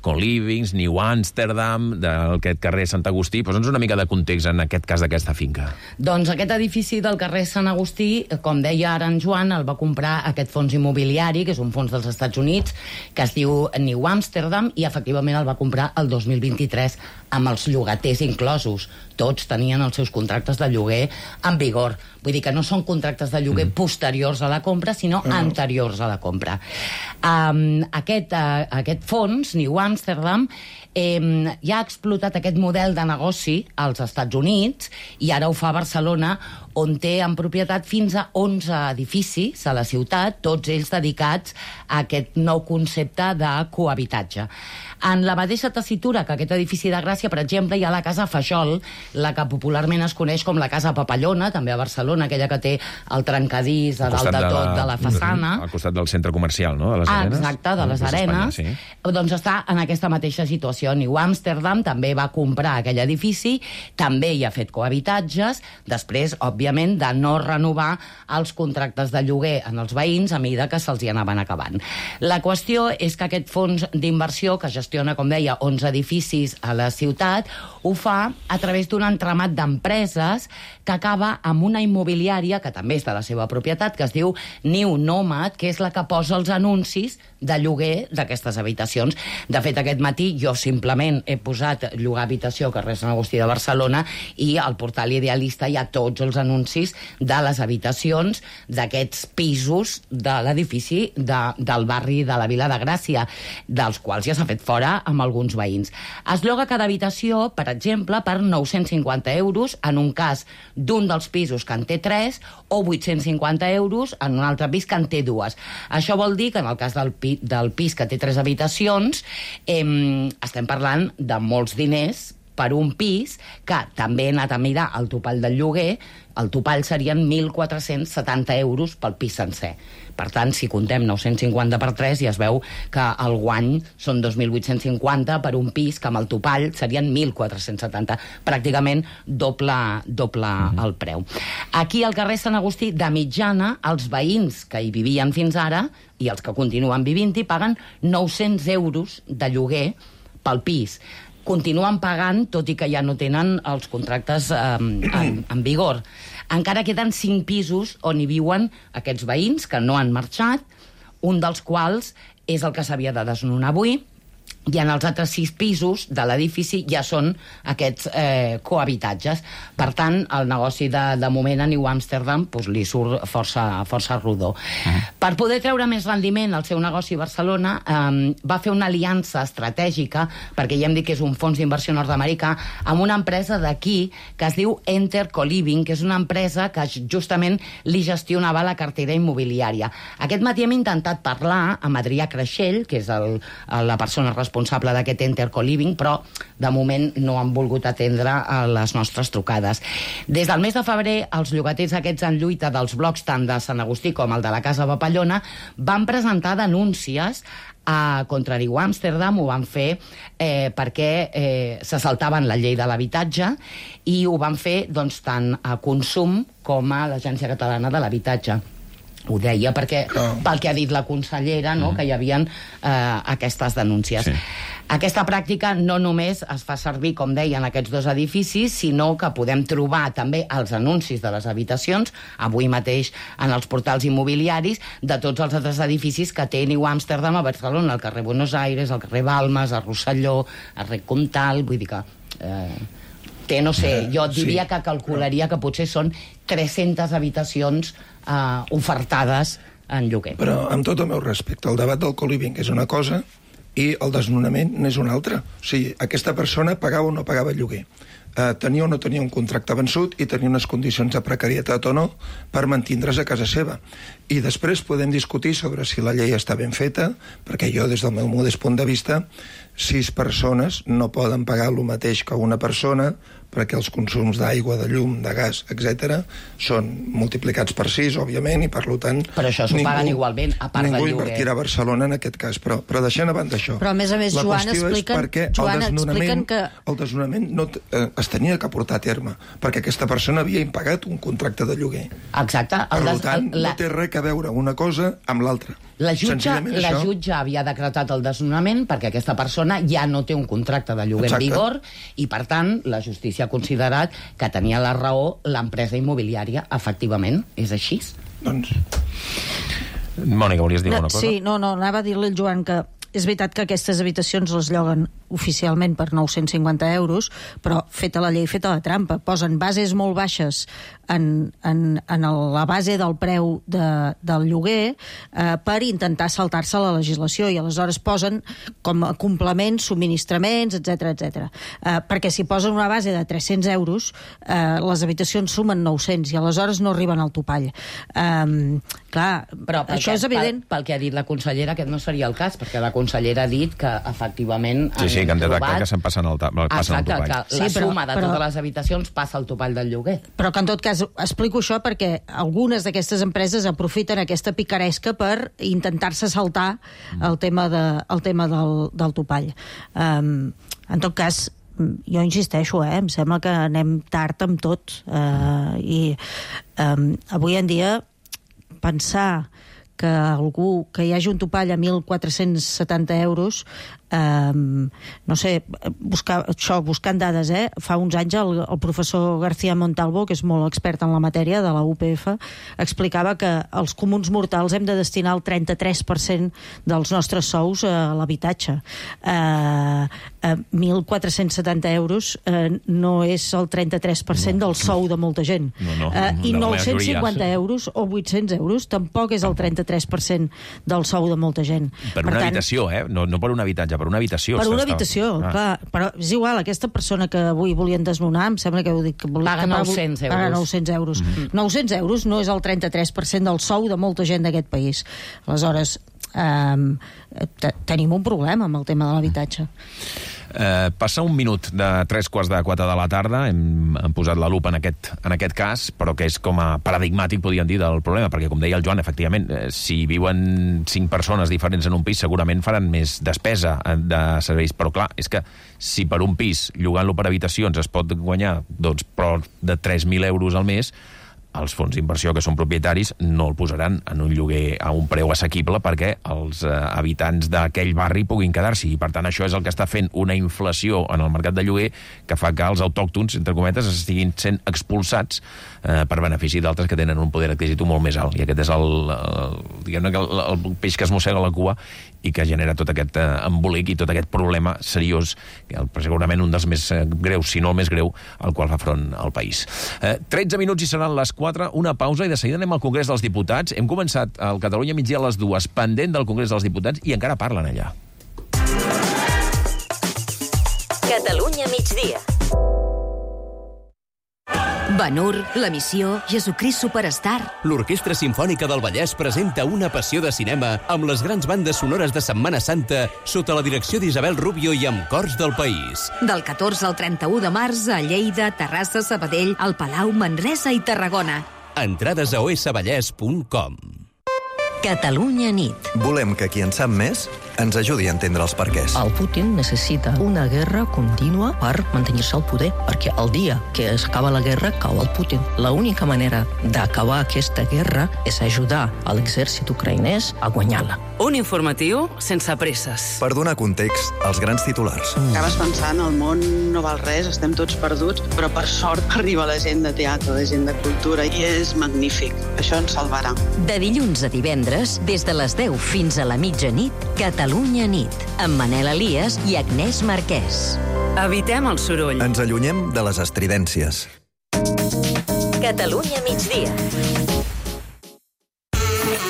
Co-livings, New Amsterdam, d'aquest carrer Sant Agustí. Posa'ns una mica de context en aquest cas d'aquesta finca. Doncs aquest edifici del carrer Sant Agustí, com deia ara en Joan, el va comprar aquest fons immobiliari, que és un fons dels Estats Units, que es diu New Amsterdam, i efectivament el va comprar el dos mil vint-i-tres amb els llogaters inclosos. Tots tenien els seus contractes de lloguer en vigor. Vull dir que no són contractes de lloguer mm. posteriors a la compra, sinó mm. anteriors a la compra. Um, aquest, uh, aquest fons, New Amsterdam, eh, ja ha explotat aquest model de negoci als Estats Units i ara ho fa a Barcelona, on té en propietat fins a onze edificis a la ciutat, tots ells dedicats a aquest nou concepte de cohabitatge. En la mateixa tessitura que aquest edifici de Gràcia, per exemple, hi ha la Casa Fajol, la que popularment es coneix com la Casa Papallona, també a Barcelona, aquella que té el trencadís a dalt de tot de la, de la façana. Al costat del centre comercial, no?, de les ah, Arenes. Exacte, de les Arenes. Sí. Doncs està en aquesta mateixa situació. New Amsterdam també va comprar aquell edifici, també hi ha fet cohabitatges, després, òbviament, de no renovar els contractes de lloguer en els veïns a mesura que se'ls hi anaven acabant. La qüestió és que aquest fons d'inversió, que gestiona, com deia, onze edificis a la ciutat, ho fa a través d'un entramat d'empreses que acaba amb una immobiliària, que també és de la seva propietat, que es diu New Nomad, que és la que posa els anuncis de lloguer d'aquestes habitacions. De fet, aquest matí jo simplement he posat llogar habitació carrer Sant Agustí de Barcelona i al portal Idealista hi ha tots els anuncis de les habitacions d'aquests pisos de l'edifici de, del barri de la Vila de Gràcia, dels quals ja s'ha fet fora amb alguns veïns. Es lloga cada habitació, per exemple, per nou-cents cinquanta euros en un cas d'un dels pisos que en té tres o vuit-cents cinquanta euros en un altre pis que en té dues. Això vol dir que en el cas del, pi, del pis que té tres habitacions eh, estem parlant de molts diners per un pis que també he anat a mirar el topall del lloguer. El topall serien mil quatre-cents setanta euros pel pis sencer. Per tant, si contem nou-cents cinquanta per tres, ja es veu que el guany són dos mil vuit-cents cinquanta per un pis que amb el topall serien mil quatre-cents setanta. Pràcticament doble, doble mm-hmm. el preu. Aquí al carrer Sant Agustí, de mitjana, els veïns que hi vivien fins ara i els que continuen vivint-hi paguen nou-cents euros de lloguer pel pis. Continuen pagant, tot i que ja no tenen els contractes eh, en, en vigor. Encara queden cinc pisos on hi viuen aquests veïns que no han marxat, un dels quals és el que s'havia de desnonar avui, i en els altres sis pisos de l'edifici ja són aquests eh, cohabitatges. Per tant, el negoci de, de moment a New Amsterdam pues, li surt força, força rodó. Uh-huh. Per poder treure més rendiment al seu negoci a Barcelona, eh, va fer una aliança estratègica, perquè ja hem dit que és un fons d'inversió nord-americà, amb una empresa d'aquí que es diu Enter Co-living, que és una empresa que justament li gestionava la cartera immobiliària. Aquest matí hem intentat parlar amb Adrià Creixell, que és el, la persona responsable responsable d'aquest Enter Co-living, però de moment no han volgut atendre a les nostres trucades. Des del mes de febrer, els llogaters aquests en lluita dels blocs tant de Sant Agustí com el de la Casa Papallona van presentar denúncies a contra New Amsterdam, ho van fer eh, perquè eh, se saltaven la llei de l'habitatge i ho van fer doncs, tant a Consum com a l'Agència Catalana de l'Habitatge. Ho deia perquè, oh. pel que ha dit la consellera, no? mm. que hi havia eh, aquestes denúncies. Sí. Aquesta pràctica no només es fa servir, com deia, en aquests dos edificis, sinó que podem trobar també els anuncis de les habitacions, avui mateix en els portals immobiliaris, de tots els altres edificis que té New Amsterdam a Barcelona, al carrer Buenos Aires, al carrer Balmes, a Rosselló, a Rec Comtal, vull dir que... Eh, té, no sé, jo diria sí. que calcularia que potser són tres-centes habitacions eh, ofertades en lloguer. Però, amb tot el meu respecte, el debat del co-living és una cosa i el desnonament n'és una altra. O sigui, aquesta persona pagava o no pagava el lloguer. Eh, tenia o no tenia un contracte vençut i tenia unes condicions de precarietat o no per mantindre's a casa seva. I després podem discutir sobre si la llei està ben feta, perquè jo, des del meu modest punt de vista, sis persones no poden pagar el mateix que una persona, perquè els consums d'aigua, de llum, de gas, etcètera, són multiplicats per sis, òbviament, i per tant... Però això s'ho paguen igualment, a part del lloguer. Ningú invertirà a Barcelona en aquest cas, però, però deixant a banda això... Però, a més a més, Joan, expliquen, Joan, expliquen que... El desnonament no eh, es tenia que portar a terme, perquè aquesta persona havia impagat un contracte de lloguer. Exacte. Per des... tant, la... no té res a veure una cosa amb l'altra. La jutge, la això... jutge havia decretat el desnonament perquè aquesta persona ja no té un contracte de lloguer Exacte. en vigor i, per tant, la justícia ha considerat que tenia la raó l'empresa immobiliària, efectivament. És així? Doncs... Mònica, volies dir no, alguna cosa? Sí, no, no, anava a dir-li al Joan que és veritat que aquestes habitacions les lloguen oficialment per nou-cents cinquanta euros, però feta la llei, feta la trampa. Posen bases molt baixes en, en, en la base del preu de, del lloguer eh, per intentar saltar-se la legislació, i aleshores posen com a complements, subministraments, etcètera, etcètera. Eh, perquè si posen una base de tres-cents euros, eh, les habitacions sumen nou-cents i aleshores no arriben al topall. Eh, clar, però això és evident. Pel, pel que ha dit la consellera, aquest no seria el cas, perquè la consellera ha dit que, efectivament... Sí, sí, que han detectat trobat... que se'n passen el, passen Exacte, el topall. que la sí, però, suma de però... totes les habitacions passa al topall del lloguer. Però que, en tot cas, explico això perquè algunes d'aquestes empreses aprofiten aquesta picaresca per intentar-se saltar el tema, de, el tema del, del topall. Um, en tot cas, jo insisteixo, eh, em sembla que anem tard amb tot. Uh, I um, avui en dia pensar que algú, que hi hagi un topall a mil quatre-cents setanta euros, eh, no sé, buscar, això, buscant dades, eh? Fa uns anys el, el professor García Montalvo, que és molt expert en la matèria de la U P F, explicava que els comuns mortals hem de destinar el trenta-tres per cent dels nostres sous a l'habitatge. Eh, eh, mil quatre-cents setanta euros eh, no és el trenta-tres per cent no, del sou de molta gent. No, no, eh, I no, nou-cents cinquanta euros o vuit-cents euros tampoc és el trenta-tres per cent del sou de molta gent. Per una per tant, habitació, eh? No, no per un habitatge, per una habitació. Per una habitació, ah. clar. Però és igual, aquesta persona que avui volien desnonar, em sembla que ho dic... Que volia, paga nou-cents euros. Paga nou-cents euros. Mm-hmm. nou-cents euros no és el trenta-tres per cent del sou de molta gent d'aquest país. Aleshores, eh, tenim un problema amb el tema de l'habitatge. Eh, passa un minut de tres quarts de quatre de la tarda, hem, hem posat la lupa en aquest, en aquest cas, però que és com a paradigmàtic, podríem dir, del problema, perquè, com deia el Joan, efectivament, eh, si viuen cinc persones diferents en un pis, segurament faran més despesa de serveis, però clar, és que si per un pis, llogant-lo per habitacions, es pot guanyar doncs, prop de tres mil euros al mes, els fons d'inversió que són propietaris no el posaran en un lloguer a un preu assequible perquè els eh, habitants d'aquell barri puguin quedar-s'hi. I, per tant, això és el que està fent una inflació en el mercat de lloguer que fa que els autòctons, entre cometes, estiguin sent expulsats eh, per benefici d'altres que tenen un poder adquisitiu molt més alt. I aquest és el, el, diguem-ne, el, el peix que es mossega la cua i que genera tot aquest eh, embolic i tot aquest problema seriós, que el, segurament un dels més eh, greus, si no el més greu, al qual fa front al país. Eh, tretze minuts i seran les quatre, una pausa i de seguida anem al Congrés dels Diputats. Hem començat al Catalunya Migdia a les dues, pendent del Congrés dels Diputats, i encara parlen allà. Catalunya Migdia. Ben-Hur, La Missió, Jesucrist Superstar. L'Orquestra Simfònica del Vallès presenta Una passió de cinema amb les grans bandes sonores de Setmana Santa sota la direcció d'Isabel Rubio i amb cors del país. Del catorze al trenta-u de març a Lleida, Terrassa, Sabadell, el Palau, Manresa i Tarragona. Entrades a o esse vallès punt com. Catalunya nit. Volem que qui en sap més ens ajudi a entendre els perquès. El Putin necessita una guerra contínua per mantenir-se al poder, perquè el dia que s'acaba la guerra cau el Putin. L'única manera d'acabar aquesta guerra és ajudar a l'exèrcit ucraïnès a guanyar-la. Un informatiu sense presses. Per donar context als grans titulars. Acabes pensant, el món no val res, estem tots perduts, però per sort arriba la gent de teatre, la gent de cultura, i és magnífic. Això ens salvarà. De dilluns a divendres, des de les deu fins a la mitjanit, Catalunya nit, amb Manel Elias i Agnès Marquès. Evitem el soroll. Ens allunyem de les estridències. Catalunya migdia.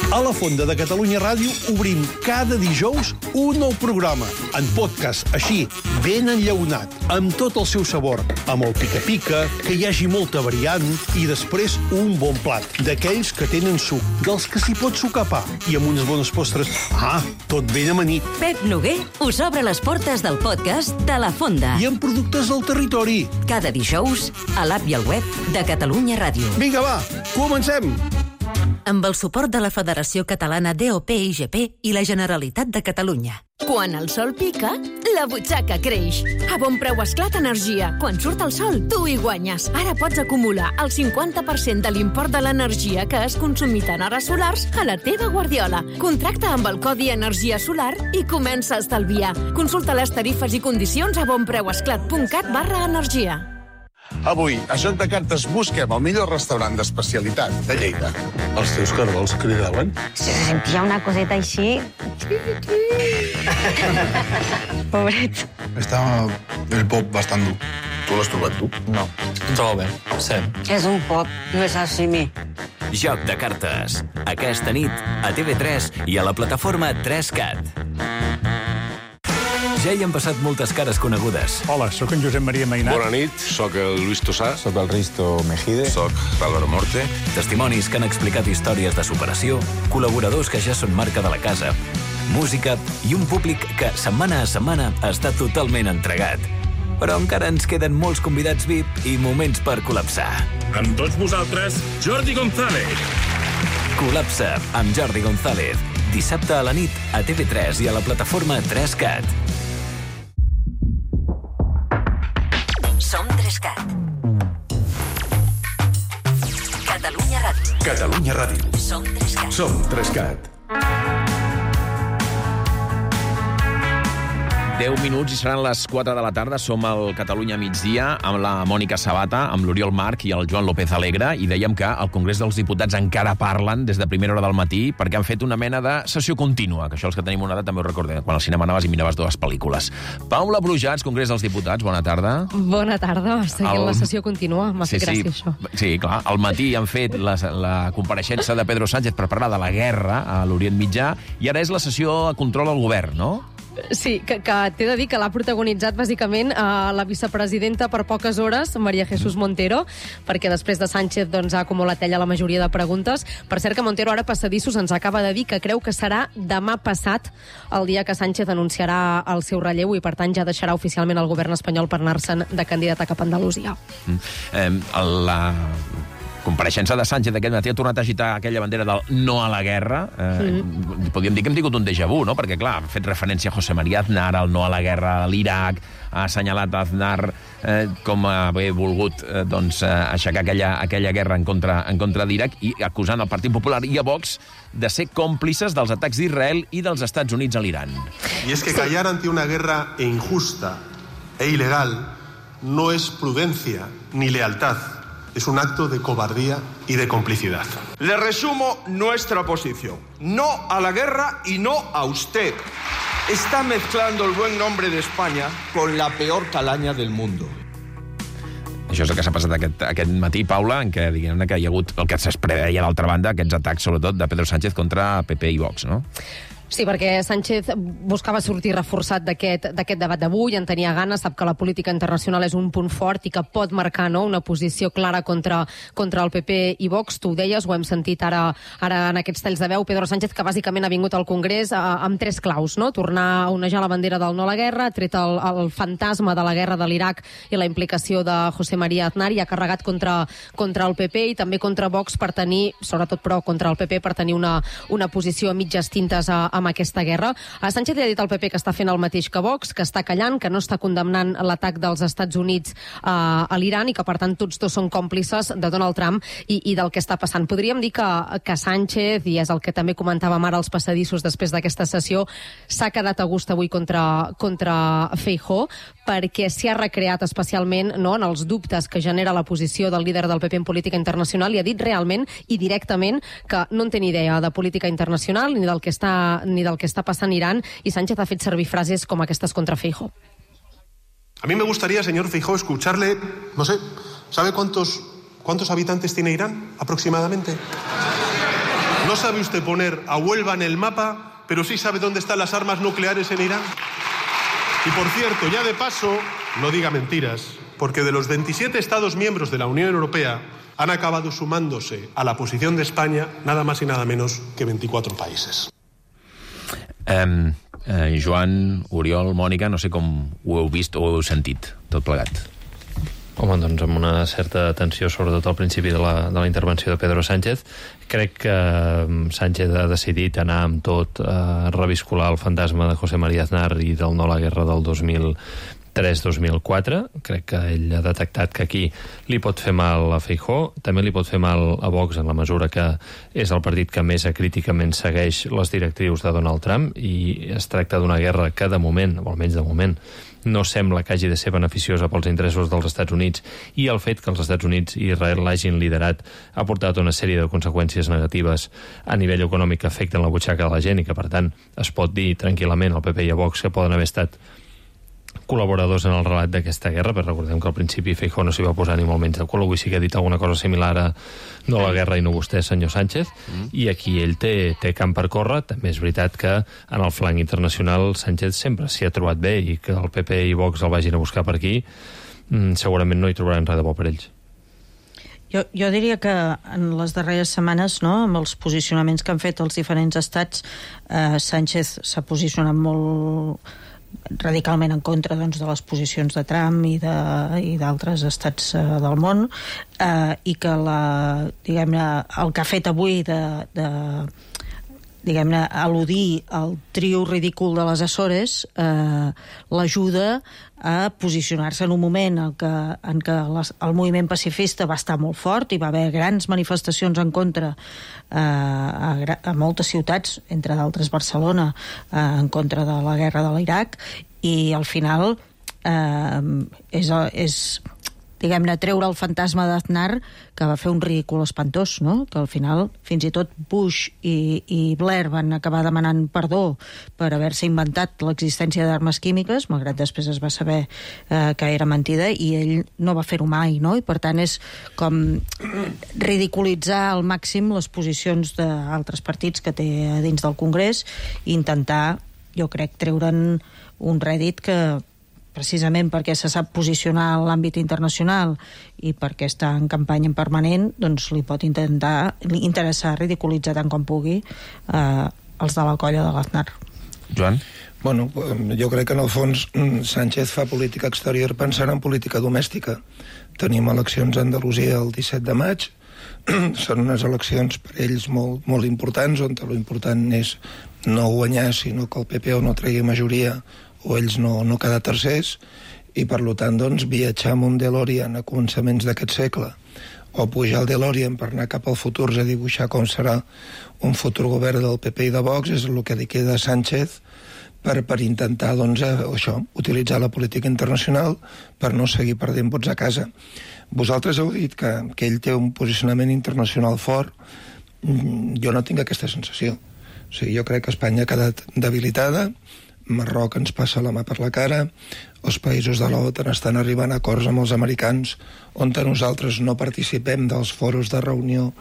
A la Fonda de Catalunya Ràdio obrim cada dijous un nou programa, en podcast, així, ben enllaunat, amb tot el seu sabor, amb el pica-pica, que hi hagi molta variant, i després un bon plat, d'aquells que tenen suc, dels que s'hi pot sucar pa, i amb unes bones postres. Ah, tot ben amanit. Pep Noguer us obre les portes del podcast de La Fonda. I amb productes del territori. Cada dijous, a l'app i al web de Catalunya Ràdio. Vinga, va, comencem! Amb el suport de la Federació Catalana D O P I G P i la Generalitat de Catalunya. Quan el sol pica, la butxaca creix. A Bon Preu Esclat Energia. Quan surt el sol, tu hi guanyes. Ara pots acumular el cinquanta per cent de l'import de l'energia que has consumit en hores solars a la teva guardiola. Contracta amb el codi Energia Solar i comença a estalviar. Consulta les tarifes i condicions a bonpreuesclat.cat barra energia. Avui, a Joc de Cartes, busquem el millor restaurant d'especialitat de Lleida. Els teus cargols cridaven? Se sentia una coseta així... Pobret. Està el pop bastant dur. Tu l'has trobat tu? No, em trobo bé, sí. És un pop, no és sashimi. Joc de Cartes. Aquesta nit, a T V tres i a la plataforma tres cat. Ja hi han passat moltes cares conegudes. Hola, sóc en Josep Maria Mainat. Bona nit, sóc el Luis Tossà. Sóc el Risto Mejide. Sóc l'Álvaro Morte. Testimonis que han explicat històries de superació, col·laboradors que ja són marca de la casa, música i un públic que, setmana a setmana, està totalment entregat. Però encara ens queden molts convidats V I P i moments per col·lapsar. Amb tots vosaltres, Jordi González. Col·lapsa amb Jordi González. Dissabte a la nit a T V tres i a la plataforma tres cat. Som tres cat. Catalunya Ràdio. Catalunya Ràdio. Som tres cat. Som tres cat. deu minuts i seran les quatre de la tarda. Som al Catalunya migdia amb la Mònica Sabata, amb l'Oriol Marc i el Joan López Alegre, i dèiem que al Congrés dels Diputats encara parlen des de primera hora del matí perquè han fet una mena de sessió contínua, que això els que tenim una edat també ho recordem, quan al cinema anaves i miraves dues pel·lícules. Paula Brujats, Congrés dels Diputats, bona tarda. Bona tarda, seguint el... la sessió contínua, m'ha sí, fet gràcia sí. això. Sí, clar, al matí han fet la, la compareixença de Pedro Sánchez per parlar de la guerra a l'Orient Mitjà, i ara és la sessió a control al govern, no? Sí, que, que t'he de dir que l'ha protagonitzat bàsicament eh, la vicepresidenta per poques hores, María Jesús Montero, perquè després de Sánchez doncs, ha acumulat ella la majoria de preguntes. Per cert que Montero ara Passadissos ens acaba de dir que creu que serà demà passat el dia que Sánchez anunciarà el seu relleu i per tant ja deixarà oficialment el govern espanyol per anar-se'n de candidat a cap a Andalusia. Mm. Eh, la... compareixença de Sánchez d'aquest matí ha tornat a agitar aquella bandera del no a la guerra. Eh, mm. Podríem dir que hem tingut un déjà vu, no? Perquè, clar, ha fet referència a José María Aznar, al no a la guerra a l'Iraq, ha assenyalat Aznar eh, com a haver volgut eh, doncs, eh, aixecar aquella, aquella guerra en contra, en contra d'Iraq, i acusant el Partit Popular i a Vox de ser còmplices dels atacs d'Israel i dels Estats Units a l'Iran. Y es que callar ante una guerra injusta e ilegal no es prudencia ni lealtad. Es un acto de cobardía y de complicidad. Le resumo nuestra posición. No a la guerra y no a usted. Está mezclando el buen nombre de España con la peor calaña del mundo. Això és el que s'ha passat aquest, aquest matí, Paula, en què, diguem que hi ha hagut el que es preveia d'altra banda, aquests atacs, sobretot, de Pedro Sánchez contra P P i Vox, no? Sí, perquè Sánchez buscava sortir reforçat d'aquest debat d'avui, en tenia ganes, sap que la política internacional és un punt fort i que pot marcar, no?, una posició clara contra, contra el P P i Vox. Tu ho deies, ho hem sentit ara, ara en aquests talls de veu. Pedro Sánchez, que bàsicament ha vingut al Congrés eh, amb tres claus, no?, tornar a onejar la bandera del no a la guerra, ha tret el, el fantasma de la guerra de l'Iraq i la implicació de José María Aznar, i ha carregat contra, contra el P P i també contra Vox per tenir, sobretot però contra el P P, per tenir una, una posició a mitges tintes a, amb aquesta guerra. A Sánchez li ha dit al P P que està fent el mateix que Vox, que està callant, que no està condemnant l'atac dels Estats Units uh, a l'Iran i que, per tant, tots dos són còmplices de Donald Trump i, i del que està passant. Podríem dir que, que Sánchez, i és el que també comentàvem ara als passadissos després d'aquesta sessió, s'ha quedat a gust avui contra, contra Feijóo, perquè s'hi ha recreat especialment, no?, en els dubtes que genera la posició del líder del P P en política internacional, i ha dit realment i directament que no en té ni idea de política internacional ni del que està, ni del que està passant a Irán, i Sánchez ha fet servir frases com aquestes contra Feijóo. A mí me gustaría, señor Feijóo, escucharle, no sé, ¿sabe cuántos, cuántos habitantes tiene Irán aproximadamente? ¿No sabe usted poner a Huelva en el mapa, pero sí sabe dónde están las armas nucleares en Irán? Y por cierto, ya de paso, no diga mentiras, porque de los veintisiete Estados miembros de la Unión Europea han acabado sumándose a la posición de España nada más y nada menos que veinticuatro países. Um, uh, Joan, Oriol, Mònica, no sé com ho heu vist o ho heu sentit, tot plegat. Home, doncs amb una certa atenció, sobretot al principi de la, de la intervenció de Pedro Sánchez. Crec que Sánchez ha decidit anar amb tot a reviscolar el fantasma de José María Aznar i del no a la guerra del dos mil tres dos mil quatre. Crec que ell ha detectat que aquí li pot fer mal a Feijóo, també li pot fer mal a Vox en la mesura que és el partit que més acríticament segueix les directrius de Donald Trump, i es tracta d'una guerra que de moment, o almenys de moment, no sembla que hagi de ser beneficiosa pels interessos dels Estats Units, i el fet que els Estats Units i Israel l'hagin liderat ha portat una sèrie de conseqüències negatives a nivell econòmic que afecten la butxaca de la gent, i que per tant es pot dir tranquil·lament al P P i a Vox que poden haver estat col·laboradors en el relat d'aquesta guerra, però recordem que al principi Feijóo no s'hi va posar ni molt menys de cul, avui sí que ha dit alguna cosa similar a no la guerra i no vostè, senyor Sánchez, mm. i aquí ell té, té camp per córrer. També és veritat que en el flanc internacional Sánchez sempre s'hi ha trobat bé, i que el P P i Vox el vagin a buscar per aquí, mm, segurament no hi trobaran res de bo per ells. Jo, jo diria que en les darreres setmanes, no, amb els posicionaments que han fet els diferents estats, eh, Sánchez s'ha posicionat molt radicalment en contra, doncs, de les posicions de Trump i d'altres estats eh, del món, eh, i que la, diguem-ne, el que ha fet avui de, de diguem-ne, al·ludir al trio ridícul de les Açores eh, l'ajuda a posicionar-se en un moment en què, en què les, el moviment pacifista va estar molt fort, i va haver grans manifestacions en contra eh, a, a moltes ciutats, entre d'altres Barcelona, eh, en contra de la guerra de l'Iraq, i al final eh, és, és diguem-ne, treure el fantasma d'Aznar, que va fer un ridícul espantós, no? Que al final fins i tot Bush i, i Blair van acabar demanant perdó per haver-se inventat l'existència d'armes químiques, malgrat després es va saber eh, que era mentida, i ell no va fer-ho mai, no? I per tant és com ridiculitzar al màxim les posicions d'altres partits que té dins del Congrés, i intentar, jo crec, treure'n un rèdit que, precisament perquè se sap posicionar en l'àmbit internacional i perquè està en campanya permanent, doncs li pot intentar interessar ridiculitzar tant com pugui eh, els de la colla de l'Aznar. Joan? Bueno, jo crec que en el fons Sánchez fa política exterior pensant en política domèstica. Tenim eleccions a Andalusia el disset de maig, són unes eleccions per ells molt, molt importants, on l'important és no guanyar, sinó que el P P o no tregui majoria o ells no, no quedar tercers, i per tant doncs, viatjar amb un DeLorean a començaments d'aquest segle o pujar al DeLorean per anar cap al futur a dibuixar com serà un futur govern del P P i de Vox és el que li queda a Sánchez per, per intentar doncs, això, utilitzar la política internacional per no seguir perdent vots a casa. Vosaltres heu dit que, que ell té un posicionament internacional fort. Jo no tinc aquesta sensació. O sigui, jo crec que Espanya ha quedat debilitada, Marroc ens passa la mà per la cara, els països de l'OTAN estan arribant a acords amb els americans on nosaltres no participem dels foros de reunió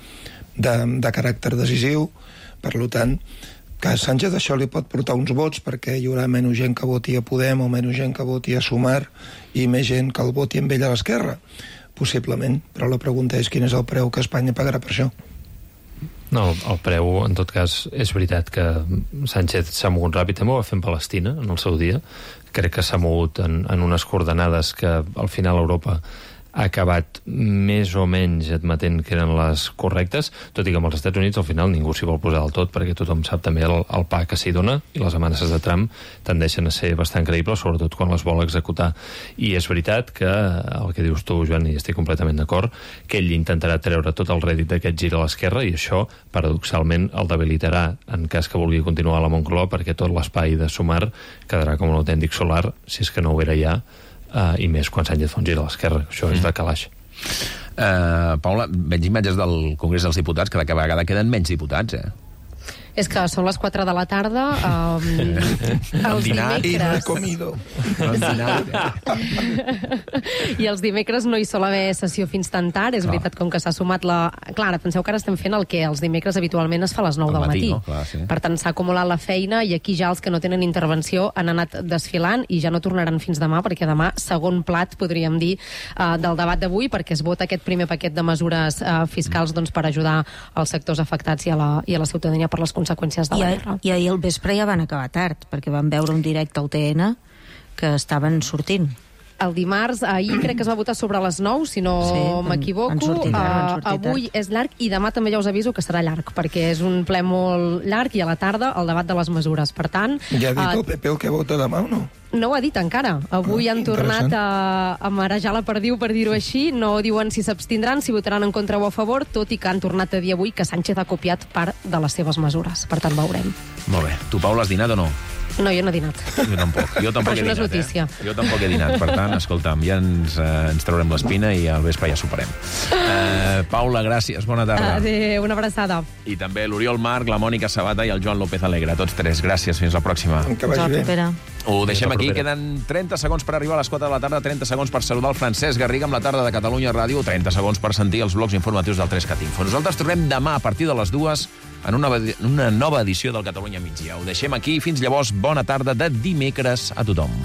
de, de caràcter decisiu. Per tant, que a Sánchez això li pot portar uns vots perquè hi haurà menys gent que voti a Podem o menys gent que voti a Sumar i més gent que el voti amb ell a l'esquerra, possiblement, però la pregunta és quin és el preu que Espanya pagarà per això. No, el preu, en tot cas, és veritat que Sánchez s'ha mogut ràpid, també ho va fer en Palestina, en el seu dia. Crec que s'ha mogut en, en unes coordenades que al final Europa ha acabat més o menys admetent que eren les correctes, tot i que amb els Estats Units al final ningú s'hi vol posar del tot, perquè tothom sap també el, el pa que s'hi dona, i les amenaces de Trump tendeixen a ser bastant creïbles, sobretot quan les vol executar. I és veritat que el que dius tu, Joan, i estic completament d'acord, que ell intentarà treure tot el rèdit d'aquest gir a l'esquerra, i això, paradoxalment, el debilitarà en cas que vulgui continuar a la Moncloa, perquè tot l'espai de Sumar quedarà com un autèntic solar, si és que no ho era ja, Uh, i més quan Sánchez fa un gir a l'esquerra. Això mm. és de calaix. Uh, Paula, veig imatges del Congrés dels Diputats, que cada vegada queden menys diputats, eh? És que són les quatre de la tarda, um, els dinat dimecres... i no he comido. I els dimecres no hi sol haver sessió fins tan tard. És Clar. veritat, com que s'ha sumat la... Clar, penseu que ara estem fent el que els dimecres habitualment es fa a les nou Al del matí, matí. no? Clar, sí. Per tant, s'ha acumulat la feina i aquí ja els que no tenen intervenció han anat desfilant i ja no tornaran fins demà, perquè demà segon plat, podríem dir, uh, del debat d'avui, perquè es vota aquest primer paquet de mesures uh, fiscals doncs, per ajudar als sectors afectats i a la, i a la ciutadania per les conseqüències de I, la a, guerra. I ahir al vespre ja van acabar tard, perquè van veure un directe al T N que estaven sortint. El dimarts, ahir crec que es va votar sobre les nou, si no Sí, van- m'equivoco. van sortir tard, van sortir Uh, avui és llarg i demà també ja us aviso que serà llarg, perquè és un ple molt llarg i a la tarda el debat de les mesures. Per tant... Ja ha dit uh, el P P el que vota demà o no? No ho ha dit encara. Avui Ah, han tornat interessant. a, a marejar la perdiu, per dir-ho així. No diuen si s'abstindran, si votaran en contra o a favor, tot i que han tornat a dir avui que Sánchez ha copiat part de les seves mesures. Per tant, veurem. Molt bé. Tu, Paula, has dinat o no? No, jo no he dinat. Jo tampoc. Jo tampoc Però això he no és dinat, notícia. Eh? Jo tampoc he dinat. Per tant, escolta'm, ja ens, eh, ens traurem l'espina i al vespre ja superem. Eh, Paula, gràcies. Bona tarda. Adéu, una abraçada. I també l'Oriol Marc, la Mònica Sabata i el Joan López Alegre. Tots tres. Gràcies. Fins la pròxima. Que vagi bé. Espera. Ho deixem Fins la aquí. propera. Queden trenta segons per arribar a les quatre de la tarda, trenta segons per saludar el Francesc Garriga amb la tarda de Catalunya Ràdio, trenta segons per sentir els blocs informatius del tres Cat Info. Nosaltres tornem demà a partir de les dues en una, una nova edició del Catalunya Migdia. Ho deixem aquí. Fins llavors, bona tarda de dimecres a tothom.